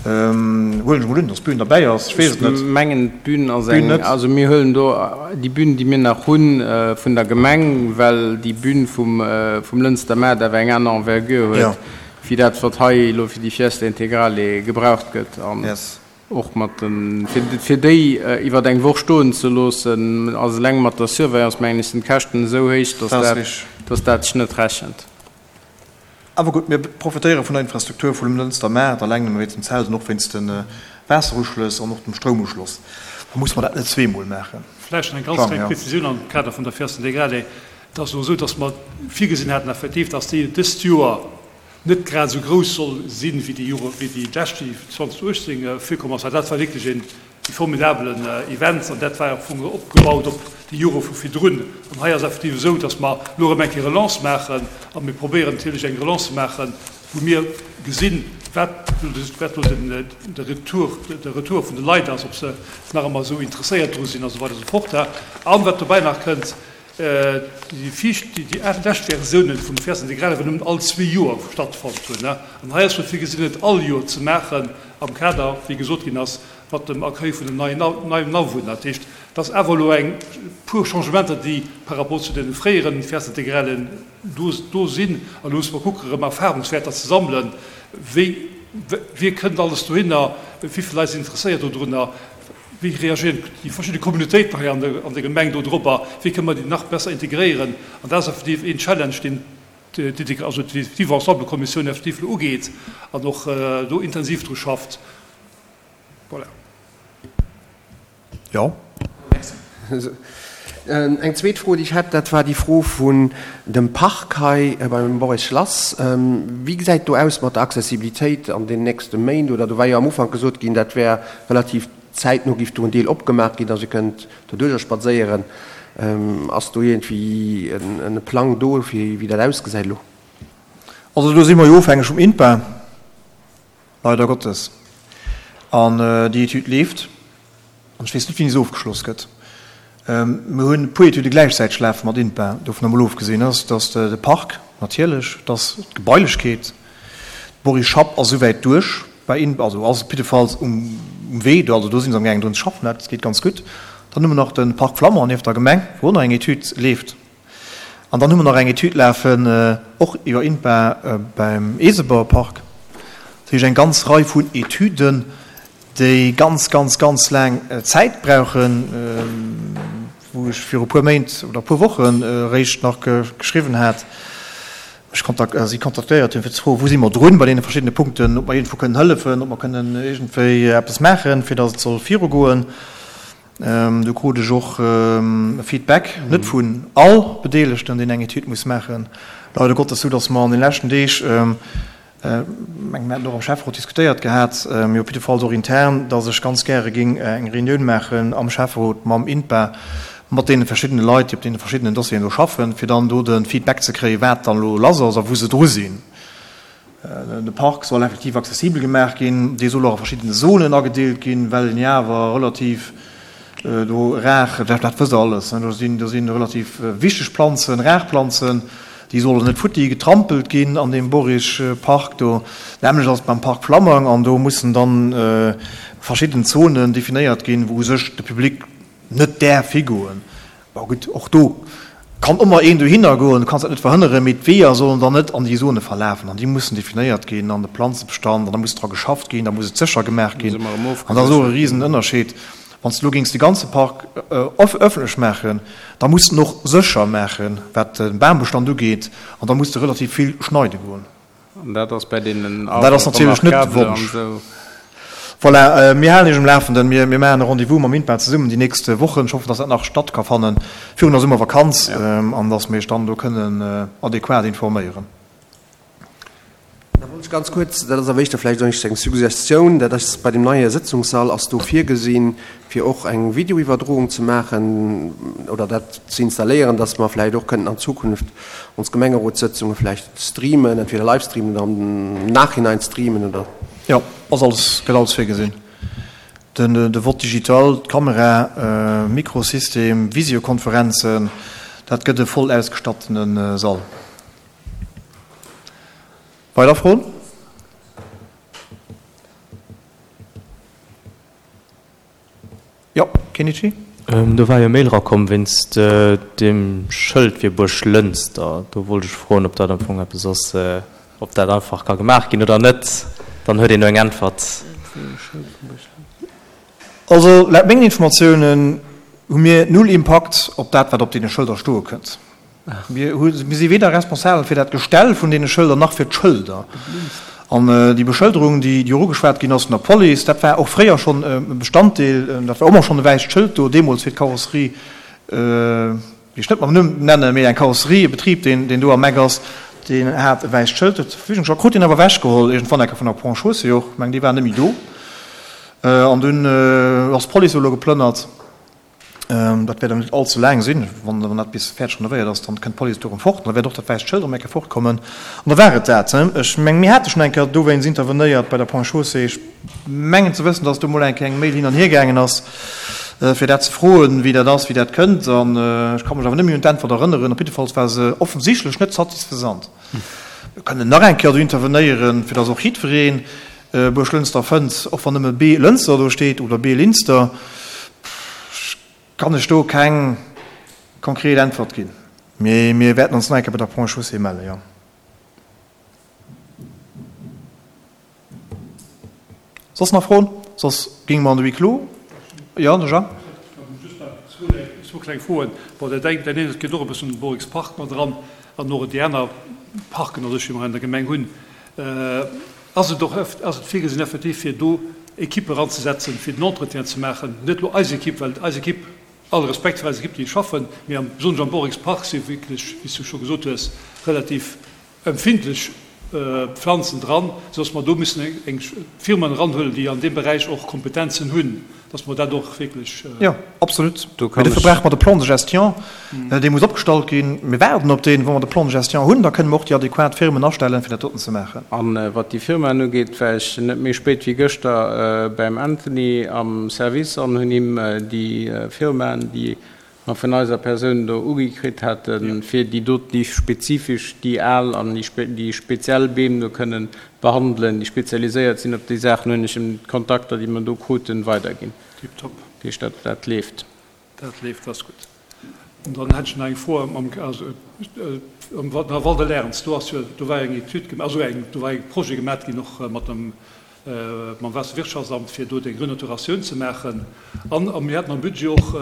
Huelen ech emol un, dass d'Bühn derbäi ass. Ech weess et net. Ech mengen, d'Bühn ass eng, also mir huelen do déi Bühn, déi mir nach hunn, vun der Gemeng, well déi Bühn vum, vum Lënster Maart awer eng aner Envergure huet, wéi dat, wat hei elo fir déi Fiesta Integrale gebraucht gëtt. An Och mat den, fir, fir déi iwwer eng Woch stoen ze loossen, ass eleng mat der Surveillance, mengen ech, sinn d'Käschten esou héich, dass dat, dass dat sech net rechent. Awer gutt, mir profitéiere vun der Infrastruktur vum Lënster Maart, eleng nëmme wéinst dem Zelt an och wéinst de Waasseruschlëss an och dem Stroumuschloss. Da musse mer dat net zweemol maachen. Vläicht nach eng ganz kleng Prezisioun am Kader vun der Fiesta Integrale. Et ass elo esou, dass mer virgesinn haten effektiv, dass déi dëst Joer net grad esou grouss soll sinn, wéi déi Jore, wéi déi lescht, déi 2018 virkomm ass, well dat war wierklech een formidabelen Event an dat war am Fong opgebaut op déi Jore vu virdrun. An hei ass effektiv esou, datt mer elo erëm eng Kéier Relance maachen a mir probéieren natierlech eng Relance ze maachen, wou mir gesinn, wat wat elo den de Retour, de Retour vun de Leit ass, ob se nach ëmmer esou interesséiert dru sinn a sou weider a sou fort. An wat dobäi nach kënnt, Déi viischt, déi lescht Versiounen vum Fiesta Integrale war nëmmen all zwee Joer stattfonnt hunn. An hei ass jo virgesinn, et all Joer ze maachen am Kader, wéi gesot ginn ass, mat dem Accueil vun den neien neien Awunner. Dat heescht, et ass awer elo eng puer Changementer, déi par rapport zu deene fréieren Fiesta Integralen do do sinn. An elo musse mer kucken, erëm Erfahrungswäerter ze sammelen, wéi, wie kënnt alles dohinner, wéi vill Leit sinn interesséiert dodrunner. Wéi reagieren déi verschidde Communautéiten hei an der Gemeng do dorobber? Wéi kënne mer déi nach besser integréieren? An dat ass effektiv een Challenge, deen d'Vivre-ensemble-Kommissioun effektiv elo ugeet an och do intensiv dru schafft. Voilà. Jo. Merci. Eng zweet Fro, déi ech hätt, dat war déi Fro vun dem Park hei beim Boris Schlass. Wéi gesäit do aus mat der Accessibilitéit an den nächste Méint? Oder do war jo am Ufank gesot ginn, dat wär relativ zäitno, géif do en Deel opgemaach ginn, dass ee kënnt doduerjer spadséieren. Ass do iergendwéi e Plang do, fir wéi dat ausgesäit elo? Also do si mer jo ofhängeg vum INPA, leider Gottes. An déi Etüd leeft. An ech weess net, wéini se ofgeschloss gëtt. Mir hunn e puer Etüde gläichzäiteg lafe mat INPA, dovun emol ofgesinn ass, dass de Park natierlech, dass d'Gebailechkeet, d'Boris Schapp ass esouwäit duerch bei INPA, also ass op jiddefalls um Wee do, also do si se amgaangen drun ze schaffen, dat geet ganz gutt. Dann hu mer nach de Parc Flammang nieft der Gemeng, wou och nach eng Etüd leeft. An dann hu mer nach eng Etüd lafen, och iwwer INPA beim Eeseberpark. Dat heescht eng ganz Rei vun Etüden, déi ganz, ganz, ganz laang Zäit brauchen, wou ech viru puer Méint oder puer Wochen eréischt nach geschriwwen hat, mech kontak si kontaktéiert hunn, fir ze froen, wou si mer drun bei deene verschiddene Punkten, ob mer iergendwou kënnen hëllefen, ob mer kënnen iergendwéi eppes maachen, fir datt et soll virugoen. Do krut ech och e Feedback, net vun all Bedeelegten, deen eng Etüd muss maachen, leider Gottes, sou datt mer an de leschten Deeg, mengen, mir haten och am Schäfferot diskutéiert gehat, mee op jiddefalls och intern, datt ech ganz gäre géing eng Reunioun maachen am Schäfferot mam INPA, mat deene verschiddene Leit, déi op deene verschiddenen Dossieren do schaffen, fir dann do de Feedback ze kréien, wat dann elo lass ass a wou se dru sinn. De Park soll effektiv accessibel gemaach ginn. Dee soll och a verschiddene Zonen agedeelt ginn, well en jo awer relativ do rar, dat wësst Der alles, do sinn, do si relativ wichteg Planzen, rar Planzen, déi sollen net futti getrampelt ginn an deem Borichpark do. D'nämmlecht ass et beim Park Flammang an do mussen dann verschidden Zonen definéiert ginn, wou u sech de Public net däerf higoen. Bon gutt, och do kann ëmmer een dohinner goen, du kanns dat net verhënneren, mee d'Weeër sollen dann net an déi Zone verlafen an déi mussen definéiert ginn an de Planzebestand an da muss dra geschafft ginn, da muss et sécher gemaach ginn an dat ass och e Risenënnerscheed. Wann s de elo géings de ganze Park ëffentlech maachen, da muss de en och sécher maachen, wat de Bambestand ugeet, an da muss de relativ vill schneide goen. An dat ass bäi deenen An dat ass natierlech net de Wonsch. Voilà, mir halen Iech um Lafenden. Mir maachen e Rendez-vous mam INPA zesummen déi nächst Wochen. Ech hoffen, dass dat nach statt ka fanne virun der Summervakanz an dass mir Iech dann do kënnen adequat informéieren. Da wollt ech ganz kuerz, dat ass awer éischter vläicht eng Suggestioun, dat ass bei dem neie Sëtzungssall ass do virgesinn, fir och eng Videoiwwerdroung ze maachen oder dat ze installéieren, dass mer vläicht och kënnten an Zukunft ons Gemengerotssëtzunge vläicht streamen, entweder live streamen oder am Nachhinein streamen oder. Jo, ass alles, gëtt alles virgesinn. Den, de Vote digital, d'Kamera, Mikrosystem, Visiokonferenzen, dat gëtt e voll ausgestattene Sall. Weider Froen? Jo, Kenichi? Do war jo e Mail erakomm wéinst deem Schëld fir Buerglënster. Do wollt ech froen, ob dat am Fong eppes ass, ob dat einfach ka gemaach ginn oder net. Dann huet een do eng Äntwert. Also laut mengen Informatiounen hu mir null Impakt op dat, wat op deene Schëlder stoe kënnt. Mir si weder responsabel fir dat Gestell vun deene Schëlder nach fir d'Schëlder. An déi Beschëlderung, déi jo ugeschwat ginn ass vun der Police, dat war och fréier schonn e Bestanddeel, dat war och ëmmer schonn e wäisst Schëld do, deemools fir d'Karosserie, déi ech net mam Numm nennen, mee eng Karosserie, e Betrib, deen do am Eck ass, deen hat e wäisst Schëld zur Verfügung gestallt, krut deen awer ewechgeholl iergendwann eng Kéier vun der Ponts Chaussée och, ech mengen, déi war net méi do. An dunn ass d'Police elo geplënnert. Dat wäert awer net all ze laang sinn. Wann dat bis fäerdeg renovéiert ass, dann kënnt d'Police do erëm fort. An da wäert och dat wäisst Schëld erëm eng Kéier fortkommen. An da war et dat. Ech mengen, mir hate schonn eng Kéier dowéinst intervenéiert bei der Ponts et Chaussées. Ech mengen ze wëssen, dass do mol eng Kéier eng Mail hin an hier gaangen ass, fir dat ze froen, wéi dat ass, wéi dat kënnt. An ech ka mech awer net méi un d'Äntwert erënneren. Op jiddefalls war se offensichtlech net satisfaisant. Mir kënnen nach eng Kéier do intervenéieren, fir dass och jiddweree Buerglënster fënnt, och wann nëmme B-Lënster do steet oder B-Linster, kann ech do keng konkret Äntwert ginn. Mee mir wäerten ons nach eng Kéier bei der Ponts et Chaussées mellen, jo. Soss nach Froen? Soss géinge mer an de Huis clos. Jo, de Jean? Just nach zwou kleng Froen. Bon, dat eng, dat eent geet och e bëssen un de Borix Park mat eran an och déi aner Parken a sech, déi mer an der Gemeng hunn. Ass et och, ass et virgesinn effektiv fir do Equippe eranzesetzen, fir den Entretien ze maachen? Net elo eis Equipe, well eis Equipe, all Respekt fir eis Equipe, déi schaffen, mee am, besonnesch am Borix Park si wierklech, wéi s du scho gesot hues, relativ empfindlech Pflanzen dran, soudass mer do müssen eng Firmen eranhuelen, déi an deem Beräich och Kompetenzen hunn, dass mer dat och wierklech. Jo, absolut. Mee dofir brauche mer de Plan de gestion, dee muss opgestallt ginn. Mir waarden op deen. Wa mer de Plan de gestion hunn, da kënne mer och déi adequat Firmen astellen, fir dat doten ze maachen. A wat déi Firmaen ugeet, war ech net méi spéit wéi gëschter beim Anthony am Service an hunn him déi Firmaen, déi mer vun eiser Persoun do ugi kritt haten, fir déi doten, déi spezifesch déi al an déi speziell Beem do kënnen behandelen, déi spezialiséiert sinn op déi Saachen, hunn ech em d'Kontakter, déi mer do kruten, weiderginn. Tiptop. Dat heescht, dat, dat leeft. Dat leeft, dat ass gutt. An dann hätt ech nach eng Fro am, also am Val de Lärens, do ass jo, do war eng Etüd gemaach, also eng, do war e Projet gemaach ginn och mat dem, mam Waasserwirtschaftsamt, fir do déi Renaturatioun ze maachen. An mir haten am Budget och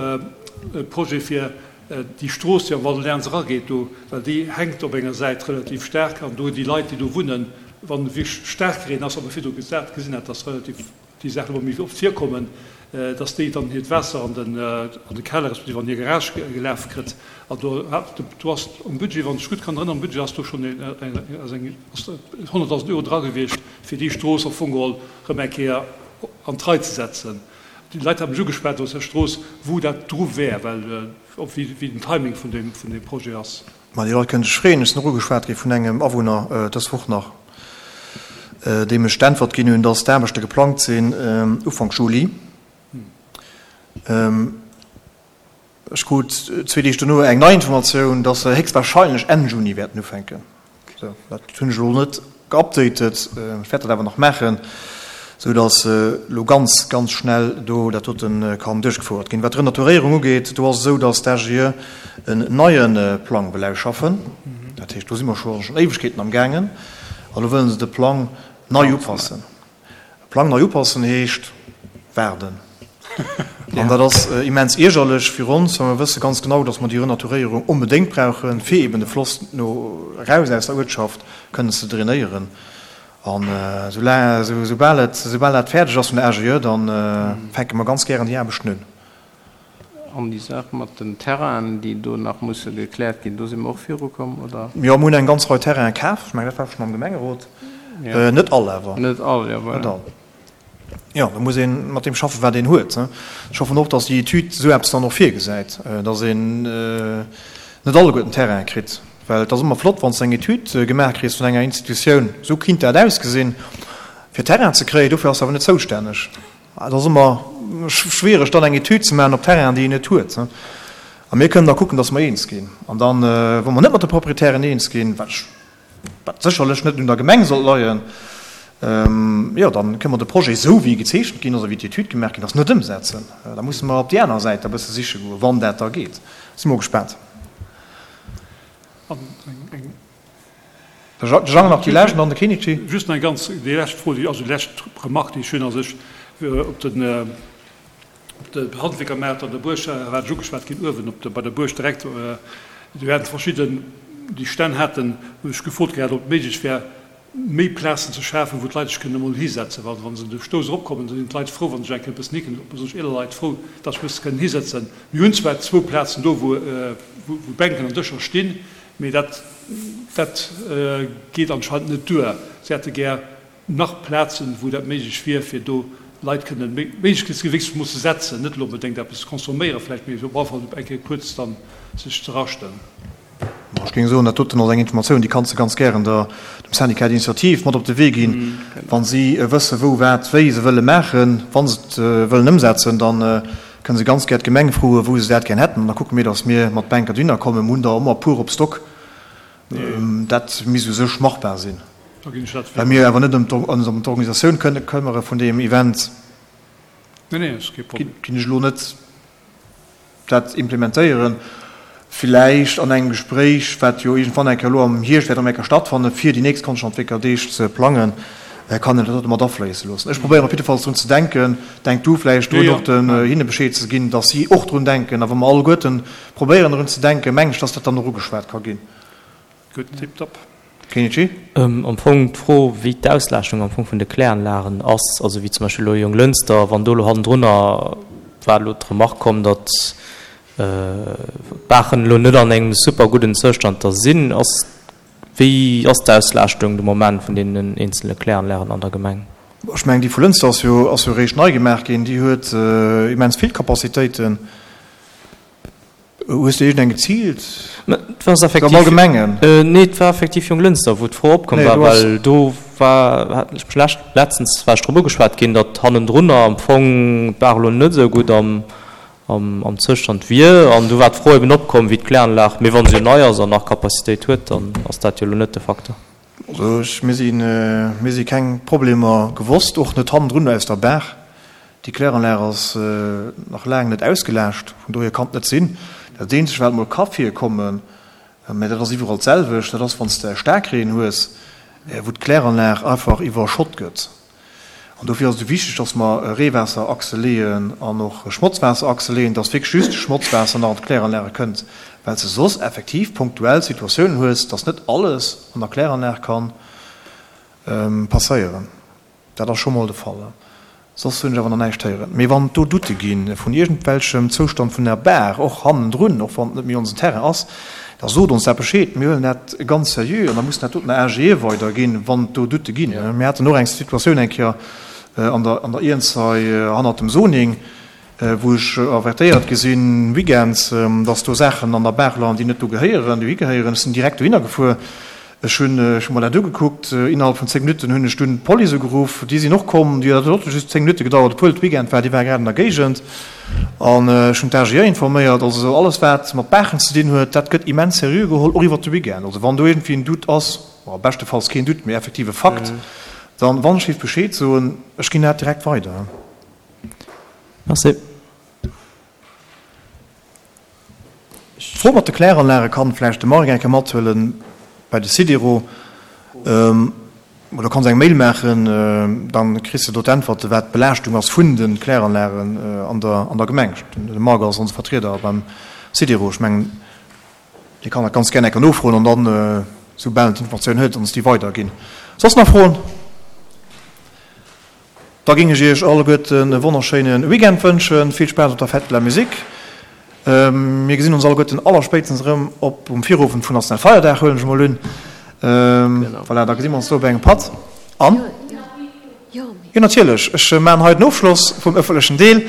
e Projet fir déi Strooss, déi am Val de Lärens erageet do, well déi hänkt op enger Säit relativ staark an do déi Leit, déi do wunnen, wann wierklech staark Reen ass, wat mer virdu gesat gesinn hat, dass relativ déi Saachen ëmmer méi oft virkommen, dass déi dann hiert Waasser an den an de Keller respektiv an hir Garage gelaf kritt. An do hat do ass am Budget, wann ech gutt kann erënneren, am Budget ass do schonn eng ass eng ass 100.000 Euro dra gewiescht, fir déi Strooss am Fong geholl erëm eng Kéier an d'Rei ze setzen. Déi Leit hate mech ugeschwat aus der Strooss, wou dat dru wär, well ob wéi wéi den Timing vun deem vun deem Projet ass. Ma déi Leit kënnen sech freeën. Ech sinn och ugeschwat gi vun engem Awunner dës Woch nach, deem ech d'Äntwert ginn hunn, dass d'Aarbechte geplangt sinn Ufank Juli. Ech krut zwee Deeg dono eng nei Informatioun, dass se héchstwahrscheinlech Enn Juni wäerten ufänken. Sou, dat hunn ech elo net geupdatet, ech wäert dat awer nach maachen, sou dass elo ganz, ganz schnell do dat dote kann duerchgefouert ginn. Wat d'Renaturéierung ugeet, do ass et esou, dass d'AGE en neie Plang wëll ausschaffen. Dat heescht, do si mer scho schonn Éiwegkeeten am gaangen a lo wëlle se de Plang nei upassen. E Plang nei upassen heescht waarden. An dat ass immens iergerlech fir ons, well mer wësse ganz genau, dass mer déi Renaturéierung onbedéngt brauchen, fir eben de Floss no eraus aus der Uertschaft kënnen ze drainéieren. An esoubal et, esoubal dat fäerdeg ass vun der AGE, da fänke mer ganz gären déi Aarbechten un. An déi Saach mat den Terrainen, déi do nach musse gekläert ginn, do si mer och virukomm, oder? Jo, mer hunn eng ganz Rei Terrainen kaf. Ech mengen, dat war schonn am Gemengerot. Net all awer. Net all, jo, voilà. Net all. Jo, da muss ee mat deem schaffen, wat een huet. Ech hoffen och, datt déi Etüd esou eppes dann och virgesäit, datt een net alleguerten Terraine kritt. Well et ass ëmmer flott, wann s de eng Etüd gemaach kriss vun enger Institutioun, esou kinnt dat ausgesinn, fir Terrain ze kréien. Dofir ass se awer net zoustänneg. Et ass ëmmer schwiereg, dann eng Etüd ze maachen op Terrainen, déi een net huet. A mir kënnen da kucken, datt mer eens ginn. An dann, wa mer net mat de Proprietären eens ginn, wat ech, wat sécherlech net un der Gemeng sollt leien, jo, da kënne mer de Projet, esou wéi e gezeechent ginn ass a wéi d'Etüd gemaach ginn ass, net ëmsetzen. Da musse mer op déi aner Säit da bësse siche goen, wann dat da geet. Si mol gespaant. An eng. De Jang nach déi lescht an dann de Kenichi. Just nach eng ganz, déi lescht Fro, déi, also déi lescht Remarque, déi ech hunn, ass ech op den, op de Handwierkermaart an der Buerg war ech ugeschwat ginn, uewen op de, bei der Buerg direkt, do haten verschidden, déi Stänn haten, hunn ech gefrot gehat, ob et méiglech wär, méi Plazen ze schafen, wou d'Leit sech kënnen emol hisetzen. Well wa se de Stouss eropkommen, da sinn d'Leit frou, wa se sech eng Kéier e bëssen hiken, besonnesch eeler Leit frou, datt se e bësse kënnen hisetzen. Mir hunn zwar zwou Plazen do, wou wou Bänken an Dëscher stinn, mee dat dat geet anscheinend net duer. Si hätte gär nach Plazen, wou dat méiglech wier, fir do Leit kënnen d'Méiglechkeet ze ginn, wéinstens emol ze setzen, net elo onbedéngt eppes consomméieren vläicht, mee op alle Fall eng Kéier kuerz dann sech ze raschten. Ech géing soen, dat doten ass eng Informatioun, déi kanns de ganz gären der, dem Syndicat d'initiative mat op de Wee ginn. Wa si wësse wou, wat, wéi se wëlle maachen, wa se et wëllen ëmsetzen, da kënne se ganz gär d'Gemeng froen, wou se dat gär hätten. An da kucke mir, datt mir mat Bänker dohinner kommen. Mir hunn der ëmmer e puer op Stock. Dat misst u sech machbar sinn. Well mir awer net ëm d'Organisatioun kënne këmmere vun deem Event, ginn ech elo net dat implementéieren, villäicht an engem Gespréich, wat jo iergendwann eng Kéier elo am Hierscht wäert erëm eng Kéier stattfannen, fir déi nächst Konschthandwierkerdeeg ze plangen, kann een dat och mat afléisse loossen. Ech probéieren op jiddefalls drun ze denken. Denk du vläicht drun, och den hinne Bescheed ze ginn, dass si och drun denken. A wa mer alleguerten probéieren drun ze denken, mengen ech, dass dat dann och ugeschwat ka ginn. Gutt, tiptop. Kenichi? Am Fong d'Fro, wéi d'Auslaaschtung am Fong vun de Kläranlagen ass, also wéi zum Beispill elo Jonglënster, wann do elo hannendrunner war elo d'Remark komm, datt d'Baachen elo net an engem super gudden Zoustand da sinn, ass, wéi ass d'Auslaaschtung de Moment vun deenen eenzele Kläranlagen an der Gemeng? Ech mengen, déi vu Lënster ass jo, ass jo eréischt nei gemaach ginn, déi huet immens vill Capacitéiten. Hues de iergendeng geziilt? Mä et war effektiv. Am Allgemengen? Nee, et war effektiv Jonglënster, wou d'Fro opkomm war, well do war, hat ech mech lescht, letztens war ech drop ugeschwat ginn, datt hannendrunner am Fong d'Baach elo net esou gutt am, am, am Zoustand wier. An du war d'Fro eben opkomm, wéi d'Kläranlag, mee wa se jo nei ass an nach Capacitéit huet, dann ass dat jo elo net de Facteur. Also ech, mir si, mir si keng Problemer gewosst, och net hannendrun aus der Baach. Déi Kläranlag ass nach laang net ausgelaascht, vun dohier kann et net sinn. Dat eenzegt wat mol ka virkommen, mä dat ass iwwerall d'selwecht, dat ass wann s de Staarkreen hues, wou d'Kläranlag einfach iwwerschott gëtt. An dofir ass et esou wichteg, dass mer Reewaasserachse leeën an och Schmotzwaasserachse leeën, dass wierklech just Schmotzwaasser nach an d'Kläranlage kënnt, well s de soss effektiv punktuell Situatiounen hues, dass net alles an der Kläranlag ka passéieren. Dat ass scho mol de Fall. Soss hunn ech awer nach näischt héieren. Mee wann et do Doutte gi vun iergendwelchem Zoustand vun der Baach, och hannendrun, och wann et net méi onsen Terrain ass, da sot ons dat Bescheed. Mir huelen dat ganz seriö an da mussen dat doten der AGE weiderginn, wann et do Doutte ginn. Mir haten och eng Situatioun eng Kéier an der an der Iernzei hannert dem Zoning, wou ech avertéiert gi sinn weekends, dass do Saachen an der Baach leien, déi net do gehéieren, dohi gehéieren. Ech sinn direkt dohinner gefuer. Ech hunn ech hu mer dat ugekuckt. Innerhalb vun 10 Minutten hunn ech dunn d'Police ugeruff. Déi sinn och komm. Déi dat huet och just 10 Minutte gedauert, obwuel et Weekend war. Déi ware grad an der Géigend. An ech hunn d'AGE informéiert. Also alles wat mat Baachen ze dinn huet, dat gëtt immens seriö geholl, och iwwert de Weekend. Also wann do iergendwéi en Doute ass, bon, beschtefalls keen Doute, mee effektiv e Fakt, dann, wann ech géif Bescheed soen, ech ginn dat direkt weider. Merci. D'Fro mat de Kläranlage kann vläicht de Marc eng Kéier mathuelen bei de Sidero. Oder kanns eng Mail maachen, dann kriss de do d'Äntwerte wat d'Belaaschtung ass vun de Kläranlagen an der an der Gemeng. De Marc ass onse Vertrieder beim SIDERO. Ech mengen, dee kann dat ganz gär enker nofroen an dann, soubal en d'Informatioun huet, ons déi weiderginn. Soss nach Froen? Da géing ech Iech alleguerten e wonnerschéine Weekend wënschen. Vill Spaass op der Fête de la Musique. Mir gesinn ons alleguerten allerspéitstens erëm op um Virowend vun Nationalfeierdag, huelen ech emol un. Voilà, da gesi mer ons do op engem Patt. An, jo natierlech, ech maachen hei den Ofschloss vum ëffentlechen Deel.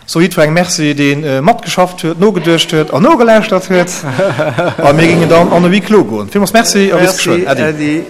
Soe jiddwerengem Merci, dee matgeschafft huet, nogeduecht huet an nogelauschtert huet. A mir géingen dann an e Huis clos goen. Villmools Merci a bis geschwënn. Äddi.